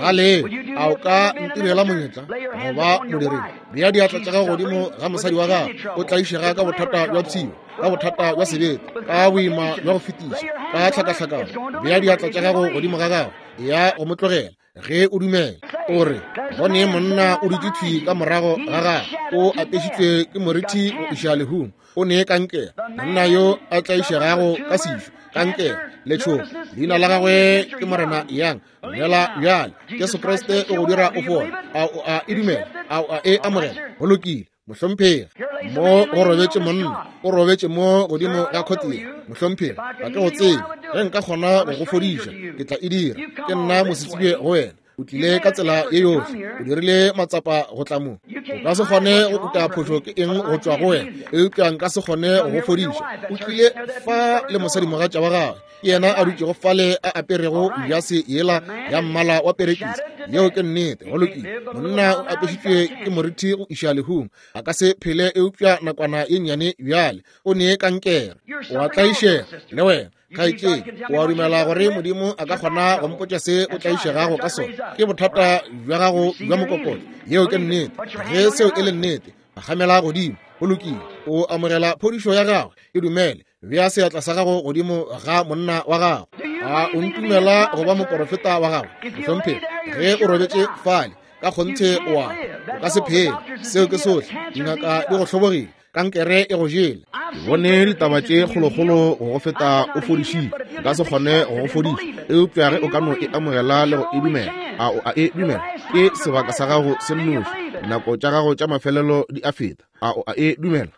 Gale, a o ka ntirela monyetla go ba modiredi? Bea diatla tša gago godimo ga mosadi wa gago. O tlaišega ka bothata bja pshio, ka bothata bja sebete, ka boima bja go fetiša, ka tlhakahlakano. Bea diatla tša gago godimo ga gago, ya go mo tlogela ge o dumela. O re go ne monna o dutše thwi ka morago ga gagwe, o apešitšwe ke morithi go iša lehung, o ne kankere. Monna yo a tlaišegago ka sešo, kankere, letšhogo, leina la gagwe ke Morena Yang. Dumela bjale, Jesu Kriste o go dira o fole. A o a e dumela? A o a e amogela? Go lokile, mohlomphegi. Mo go robetše monna, o robetše mo godimo ga khotile. Mohlomphegi, ga ke go tsebe. Ge nka kgona go go fodiša, ke tla e dira. Ke nna mosetsebje go wena. O tlile ka tsela ye yohle, o dirile matsapa go tla mo. O ka se kgone go uta phošo ke eng go tšwa go wena, eupša nka se kgone go go fodiša. O tlile fa le mosadimogatša wa gagwe, ke yena a dutšego fale a aperego jase yela ya mmala wa perekisi. Yeo ke nnete. Go lokile. Monna o apešitšwe ke morithi go iša lehung, a ka se phele eupša nakwana ye nnyane bjale. O ne kankere, o a tlaišega le wena. Kgaetšedi, o a dumela gore Modimo a ka kgona go mpotša se o tlaišegago ka sona? Ke bothata bja gago bja mokokotlo. Yeo ke nnete. Ge seo e le nnete, phagamela godimo. Go lokile. O amogela phodišo ya gagwe. E dumele. Bea seatla sa gago godimo ga monna wa gago. A o ntumela go ba moporofeta wa gago? Mohlomphegi, ge o robetše fale, ka kgonthe o a o ka se phele. Seo ke sohle. Dingaka di go hlobogile, kankere e go jele. Ke bone ditaba tše kgolokgolo go go feta o fodišitše. Nka se kgone go go fodiša, eupša ge o ka no e amogela le go e dumela. A o a e dumela? Ke sebaka sa gago se nnoši. Dinako tša gago tša mafelelo di a feta. A o a e dumela?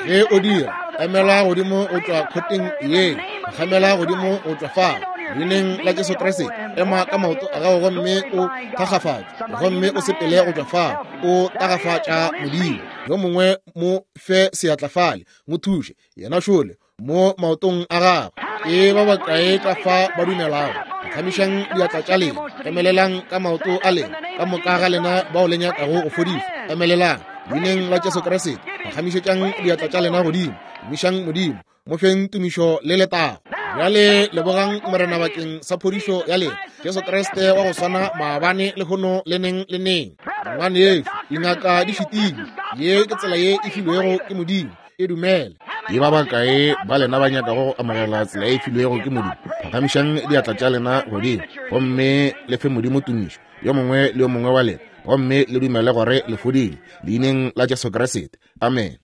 Ge o dira, emela godimo go tšwa khoteng ye, phagamela godimo go tšwa fao. Leineng la Jesu Kriste, ema ka maoto a gago gomme o thakgafatše, gomme o sepele go tšwa fao. O tagafatša Modimo. Yo mongwe mo fe seatla fale, mo thuše, yena šole mo maotong a gagwe. Ke ba bakae ka fa ba dumelago? Phagamišang diatla tša lena, emelelang ka maoto a lena. Ka moka ga lena bao le nyakago go fodišwa, emelelang leineng la Jesu Kriste. Phagamišetšang diatla tša lena godimo, tumišang Modimo, mo feng tumišo le letago. Bjale lebogang Morena bakeng sa phodišo ya lena. Jesu Kriste wa go swana maabane, lehono le neng le neng. Ngwanešu, dingaka di šitile. Ye ke tsela ye e filwego ke Modimo. E dumele. Ke ba bakae ba lena ba nyakago go amogela tsela e filwego ke Modimo? Phagamišang diatla tša lena godimo gomme le fe Modimo tumišo, yo mongwe le yo mongwe wa lena, gomme le dumele gore le fodile leineng la Jesu Kriste. Amen.